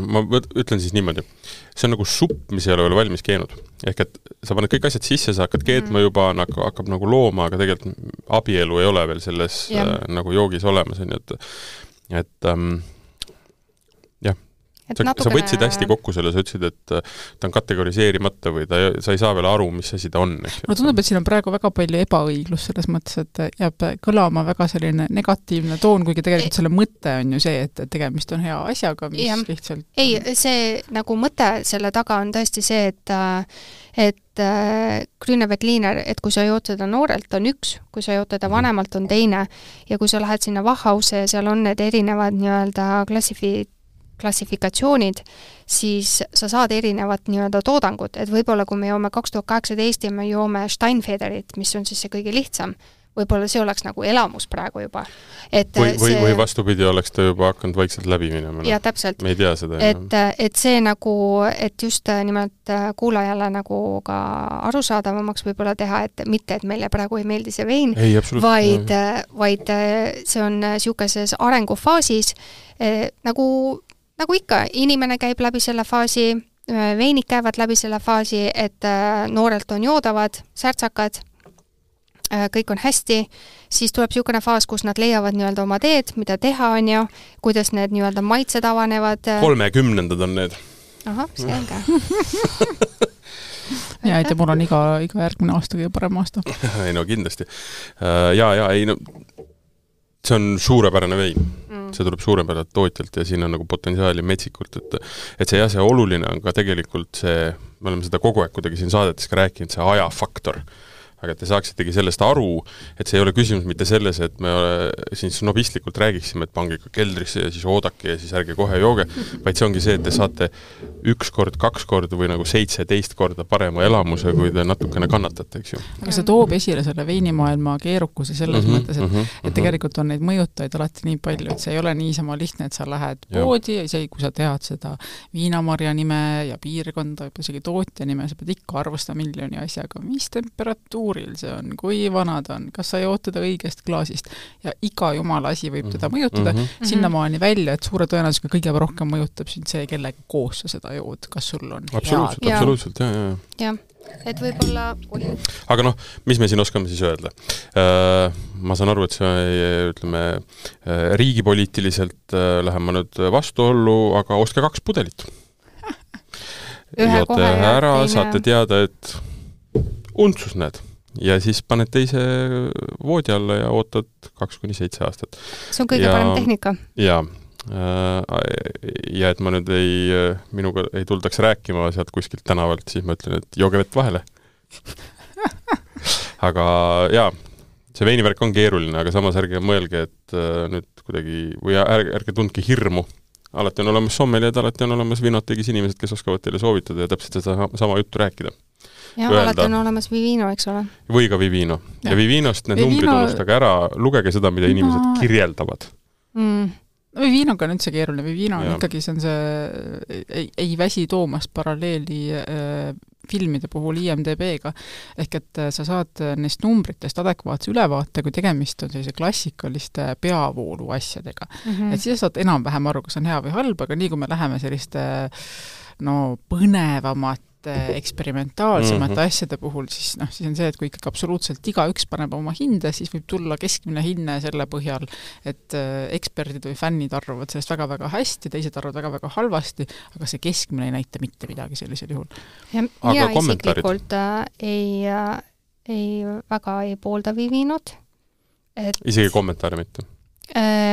ma ütlen siis niimoodi, see on nagu supp, mis ei ole veel valmis keenud. Ehk et sa paned kõik asjad sisse, sa hakkad keetma juba, hakkab nagu looma, aga tegelikult abielu ei ole veel selles nagu joogis olemas. Et sa võtsid hästi kokku selle, sa ütlesid, et ta on kategoriseerimata või sa ei saa veel aru, mis asi ta on. Mulle tundub, et siin on praegu väga palju ebaõiglus selles mõttes, et jääb kõlama väga selline negatiivne toon, kuigi tegelikult selle mõte on ju see, et tegemist on hea asjaga, mis lihtsalt... Ei, see nagu mõte selle taga on tõesti see, et Grüneveltliner, et kui sa jood seda noorelt, on üks, kui sa jood teda vanemalt, on teine ja kui sa lähed sinna Wachhause ja seal on need erinevad nii-öelda klassifikatsioonid, siis sa saad erinevat nii-öelda toodangut, et võib-olla kui me joome 2018 ja me joome Steinfederit, mis on siis see kõige lihtsam, võib-olla see oleks nagu elamus praegu juba. Või vastupidi, oleks ta juba hakanud vaikselt läbi minema. Ja täpselt. Me ei tea seda. Et see nagu, et just nimelt kuulajale nagu ka arusaadavamaks võib-olla teha, et mitte, et meile praegu ei meeldi see vein, vaid see on siukeses arengufaasis nagu ikka, inimene käib läbi selle faasi, veinid käivad läbi selle faasi, et noorelt on joodavad, särtsakad, kõik on hästi, siis tuleb siukene faas, kus nad leiavad nii-öelda oma teed, mida teha on ju, kuidas need nii-öelda maitsed avanevad. 30. on need. Aha, selge. Ja, et mul on iga järgmine aasta kõige parem aasta. Ei no kindlasti. See on suurepärane vein. See tuleb suurepärane tootjalt ja siin on nagu potentsiaali metsikult, et see oluline on ka tegelikult see, me oleme seda kogu aeg kuidagi siin saadetes ka rääkinud, see ajafaktor. aga et te saaksitegi sellest aru, et see ei ole küsimus mitte selles, et me siin snobistlikult räägiksime, et pange ikka keldrisse ja siis oodake ja siis ärge kohe jooge, vaid see ongi see, et te saate 1 kord, 2 korda või nagu 17 korda parema elamuse, kui te natukene kannatate, eks ju. Aga see toob esile selle veinimaailma keerukuse selles mõttes, et tegelikult on neid mõjutajaid alati nii palju, et see ei ole niisama lihtne, et sa lähed poodi ja isegi kui sa tead seda viinamarja nime ja piirkonda, isegi tootja nime, sa pead ikka arvustama miljoni asjaga, mis temperatuuril see on, kui vana ta on, kas sa jood teda õigest klaasist ja iga jumala asi võib teda mõjutada, sinnamaani välja, et suure tõenäosusega kõige rohkem mõjutab sind see, kellega koos sa seda jood, kas sul on absoluutselt, jah. Et võib-olla... Aga noh, mis me siin oskame siis öelda? Ma saan aru, et see, ütleme, riigipoliitiliselt lähen ma nüüd vastuollu, aga ostke 2 pudelit. Joote ära, saate teada, et untsus näed. Ja siis paned teise voodi alla ja ootad 2-7 aastat. See on kõige parem tehnika. Ja et ma nüüd minuga ei tuldaks rääkima sealt kuskilt tänavalt, siis ma ütlen, et jooge vett vahele. Aga jaa, see veinivärk on keeruline, aga samas ärge mõelge, et nüüd kuidagi, või ärge tundke hirmu. Alati on olemas sommeliad, alati on olemas vinotegis inimesed, kes oskavad teile soovitada ja täpselt seda sama juttu rääkida. Ja alati on olemas Vivino, eks ole. Või ka Vivino. Ja Vivinost need numbrid unustage ära, lugege seda, mida inimesed kirjeldavad. Vivinoga on üldse keeruline. Vivino on ikkagi, see on see, ei väsi toomast paralleeli filmide puhul IMDB-ga. Ehk et sa saad neist numbritest adekvaatse ülevaate, kui tegemist on sellise klassikaliste peavoolu asjadega. Et siis saad enam-vähem aru, kas on hea või halb, aga nii kui me läheme selliste põnevamat eksperimentaalsemate asjade puhul, siis on see, et kui ikkagi absoluutselt igaüks paneb oma hinde, siis võib tulla keskmine hinne selle põhjal, et eksperdid või fännid arvavad sellest väga-väga hästi, teised arvavad väga-väga halvasti, aga see keskmine ei näita mitte midagi sellisel juhul. Ja isiklikult väga ei poolda Vivinot. Isegi kommentaare mitte?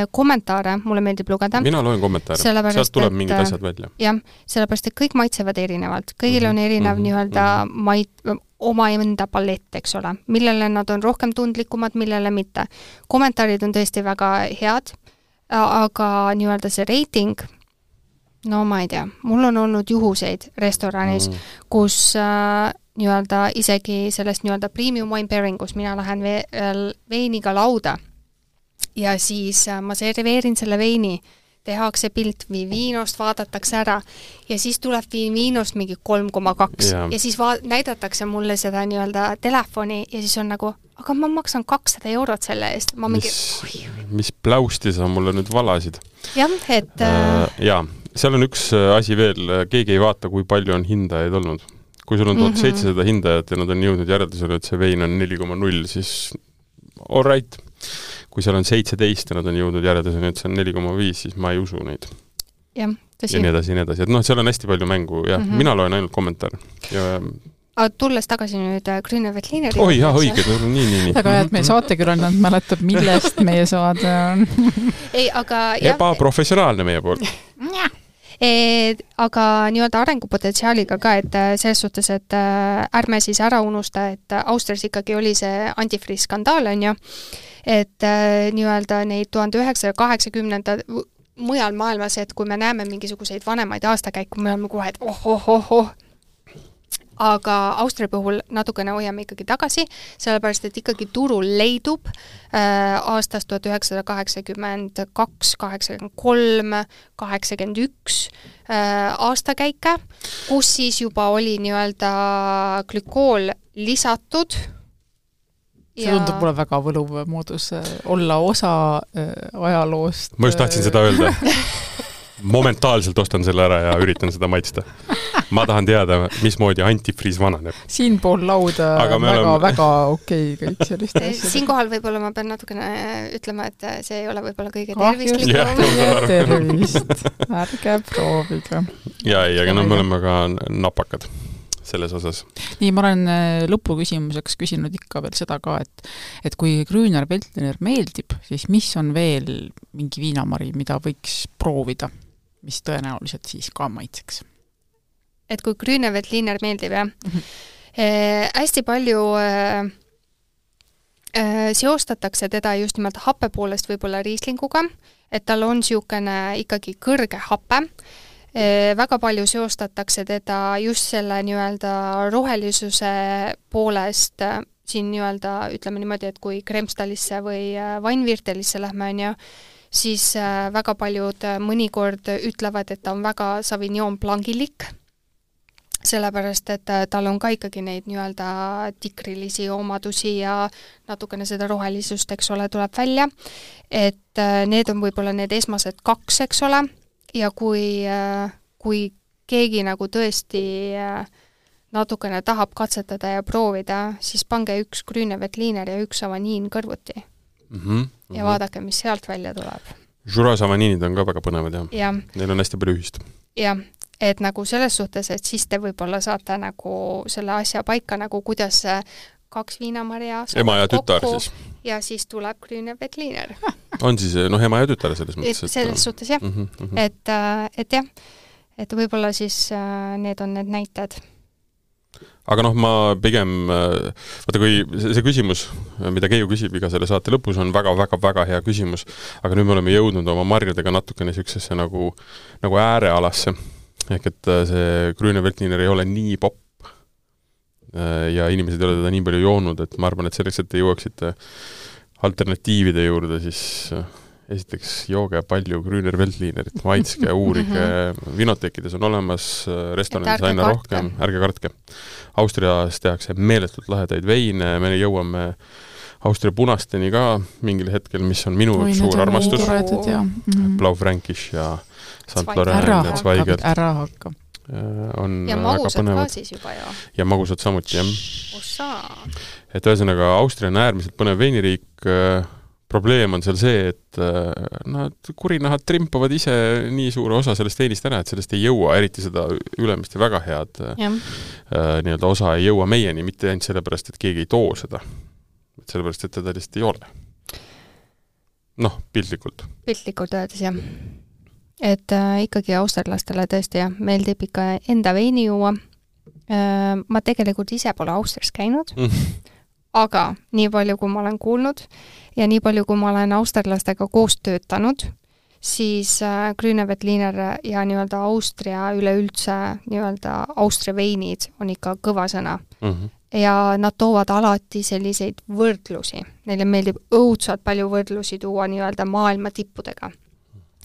Kommentaare, mulle meeldib lugeda. Mina loen kommentaare, sealt tuleb mingid asjad välja. Jah, sellepärast, et kõik maitsevad erinevalt. Kõigil on erinev nii-öelda oma enda palett, eks ole, millele nad on rohkem tundlikumad, millele mitte. Kommentaarid on tõesti väga head, aga nii-öelda see reiting, no ma ei tea, mul on olnud juhuseid restoranis, kus nii-öelda isegi sellest nii-öelda premium wine pairingus mina lähen veiniga lauda ja siis ma serveerin selle veini, tehakse pilt Vivinost, vaadatakse ära ja siis tuleb Vivinost mingi 3,2 ja siis näidatakse mulle seda nii-öelda telefoni ja siis on nagu, aga ma maksan 200 eurot selle eest. Ma mis pläusti sa mulle nüüd valasid? Jah, et... seal on üks asi veel, keegi ei vaata, kui palju on hindajaid olnud. Kui sul on 1700 hindajat ja nad on jõudnud järeldusele, et see vein on 4,0, siis all right. Kui seal on 17 ja nad on jõudnud järeldusele, et see on 4,5, siis ma ei usu neid. Jah, tõsi. Ja nii edasi. Et seal on hästi palju mängu ja mina loen ainult kommentaare. Aga tulles tagasi nüüd Grüne Veltlineri... Oi, jah, õige, nii. Aga et meie saatekülaline mäletab, millest meie saade on. Ei, aga... Ebaprofessionaalne meie poolt. Aga nii-öelda arengupotentsiaaliga ka, et selles suhtes, et ärme siis ära unusta, et Austrias ikkagi oli see antifriis skandaal, on ju, et nii-öelda neid 1980 mujal maailmas, et kui me näeme mingisuguseid vanemaid aastakäiku, me oleme kohe, et aga Austria puhul natukene hoiame ikkagi tagasi, sellepärast, et ikkagi turul leidub aastast 1982, 83, 81 aastakäike, kus siis juba oli nii-öelda glükool lisatud. See tundub mulle väga võluv moodus olla osa ajaloost. Ma just tahtsin seda öelda. Momentaalselt ostan selle ära ja üritan seda maitsta. Ma tahan teada, mismoodi antifriis vananeb. Siin pool lauda väga okei kõik sellist asjad. Siinkohal võib-olla ma pean natukene ütlema, et see ei ole võib-olla kõige tervislikum. Tervist. Ärge proovige. Aga me oleme ka napakad selles osas. Nii, ma olen lõpuküsimuseks küsinud ikka veel seda ka, et kui Grüner Veltliner meeldib, siis mis on veel mingi viinamari, mida võiks proovida, mis tõenäoliselt siis ka maitseks? Et kui Grüne Veltliner meeldib, jah? Hästi palju seostatakse teda just nimelt happe poolest võib-olla riislinguga, et tal on niisugune ikkagi kõrge happe. Väga palju seostatakse teda just selle nii-öelda rohelisuse poolest siin nii-öelda, ütleme niimoodi, et kui Kremstalisse või Weinviertelisse lähme, on ju, siis väga paljud mõnikord ütlevad, et ta on väga Sauvignon Blancilik, sellepärast, et tal on ka ikkagi neid nii-öelda tikrilisi omadusi ja natukene seda rohelisust, eks ole, tuleb välja. Et need on võib-olla need esmased 2, eks ole, ja kui keegi nagu tõesti natukene tahab katsetada ja proovida, siis pange 1 Grüneveltliner ja 1 Savagnin kõrvuti. Ja vaadake, mis sealt välja tuleb. Jura Savagninid on ka väga põnevad, jah. Neil on hästi palju ühist. Jah, et nagu selles suhtes, et siis te võib-olla saate nagu selle asja paika, nagu kuidas 2 viinamarja ema ja tütar siis. Ja siis tuleb Grüneveltliner. On siis, ema ja tütar selles mõttes? Selles suhtes, jah. Et jah, et võib-olla siis need on need näited. Aga ma pigem, vaata kui see küsimus, mida Keiu küsib iga selle saate lõpus, on väga-väga-väga hea küsimus, aga nüüd me oleme jõudnud oma marjadega natukene niisugusesse nagu äärealasse, ehk et see Grüneveltliner ei ole nii popp ja inimesed ei ole teda nii palju joonud, et ma arvan, et selleks, et te jõuaksite alternatiivide juurde, siis esiteks jooge palju Grüneveltlinerit, maitske, uurige, vinoteekides on olemas, restoranides aina rohkem, ärge kartke. Austrias tehakse meeletult lahedaid veine, me jõuame Austria punasteni ka mingil hetkel, mis on minu suur armastus. Blaufränkisch ja St. Laurent ja Zweigelt. Ära hakka. Ja magusad ka siis juba ju. Ja magusad samuti, jah. Et ühesõnaga, Austria on äärmiselt põnev veiniriik. Probleem on seal see, et nad kurinahad trimpavad ise nii suure osa sellest veinist ära, et sellest ei jõua, eriti seda ülemist ja väga head nii-öelda osa ei jõua meieni, mitte ainult sellepärast, et keegi ei too seda. Sellepärast, et teda lihtsalt ei ole. Piltlikult. Piltlikult öeldes, jah. Et ikkagi austerlastele tõesti, jah, meeldib ikka enda veini juua. Ma tegelikult ise pole Austrias käinud, aga nii palju, kui ma olen kuulnud ja nii palju, kui ma olen austerlastega koos töötanud, siis Grüneveltliner ja nii-öelda Austria üleüldse nii-öelda Austria veinid on ikka kõva sõna. Ja nad toovad alati selliseid võrdlusi. Neile meeldib õudselt palju võrdlusi tuua nii-öelda maailma tippudega.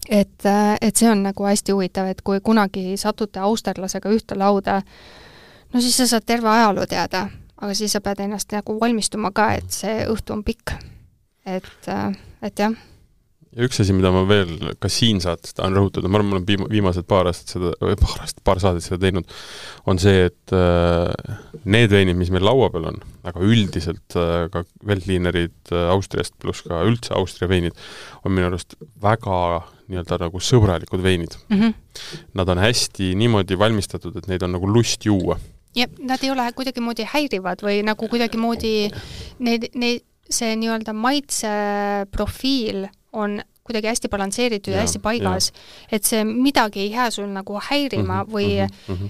Et see on nagu hästi huvitav, et kui kunagi satute austerlasega ühte lauda, no siis sa saad terve ajaloo teada, aga siis sa pead ennast nagu valmistuma ka, et see õhtu on pikk. Et jah. Ja üks asi, mida ma veel ka siin saates tahan rõhutada, ma olen viimased paar saadet seda teinud, on see, et need veinid, mis meil laua peal on, aga üldiselt ka Veltlinerid Austriast pluss ka üldse Austria veinid, on minu arust väga nii-öelda nagu sõbralikud veinid. Nad on hästi niimoodi valmistatud, et neid on nagu lust juua. Ja nad ei ole kuidagi moodi häirivad või nagu kuidagi moodi see nii-öelda maitse profiil on kuidagi hästi balansseeritud ja hästi paigas, et see midagi ei jää sul nagu häirima või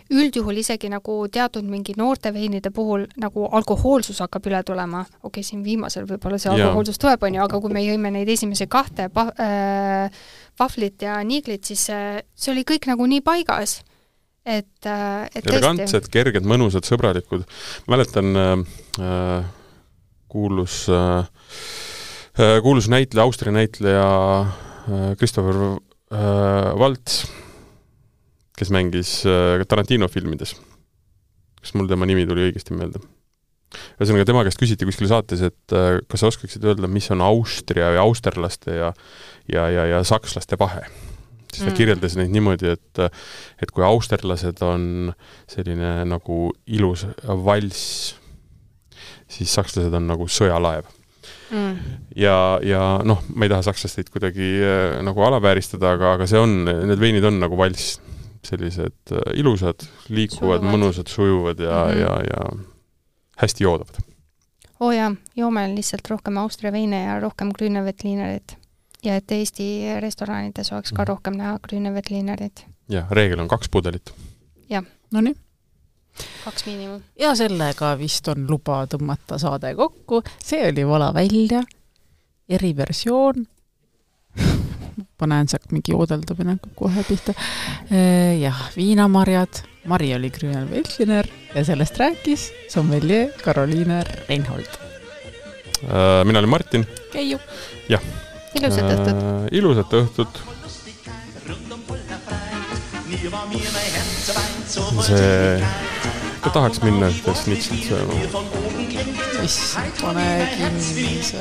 üldjuhul isegi nagu teatud mingi noorte veinide puhul nagu alkohoolsus hakkab üle tulema. Okei, siin viimasel võib-olla see alkohoolsus tuleb, on ju, aga kui me jõime neid esimese 2 vaflit ja niiglit, siis see oli kõik nagu nii paigas. Et elegantsed, kerged, mõnusad, sõbralikud. Mäletan kuulus näitleja, Austria näitleja Christopher Waltz, kes mängis Tarantino filmides. Kas mul tema nimi tuli õigesti meelde? Ühesõnaga, tema käest küsiti kuskil saates, et kas sa oskaksid öelda, mis on Austria ja austerlaste ja sakslaste vahe. Siis ta kirjeldas neid niimoodi, et kui austerlased on selline nagu ilus vals, siis sakslased on nagu sõjalaev. Ja ma ei taha sakslasteid kuidagi nagu alavääristada, aga see on, need veinid on nagu vals, sellised ilusad, liikuvad, mõnusad, sujuvad ja hästi joodavad. Jaa, joome lihtsalt rohkem Austria veine ja rohkem Grüneveltlinerit. Ja et Eesti restoranides oleks ka rohkem näha Grüneveltlinerit. Ja, reegel on 2 pudelit. Jah. No nii. 2 miinimum. Ja sellega vist on luba tõmmata saade kokku. See oli Vala välja, eriversioon. Ma näen sealt mingi oodeldamine kohe pihta. Jah, viinamarjad. Mari oli Grünel Veltliner ja sellest rääkis sommelier Karoliine Reinhold. Mina olin Martin. Keiu. Jah. Ilusat õhtut. Ilusat õhtut. See... Ka tahaks minna ühte snitsit sööma. Siis pane kinni see...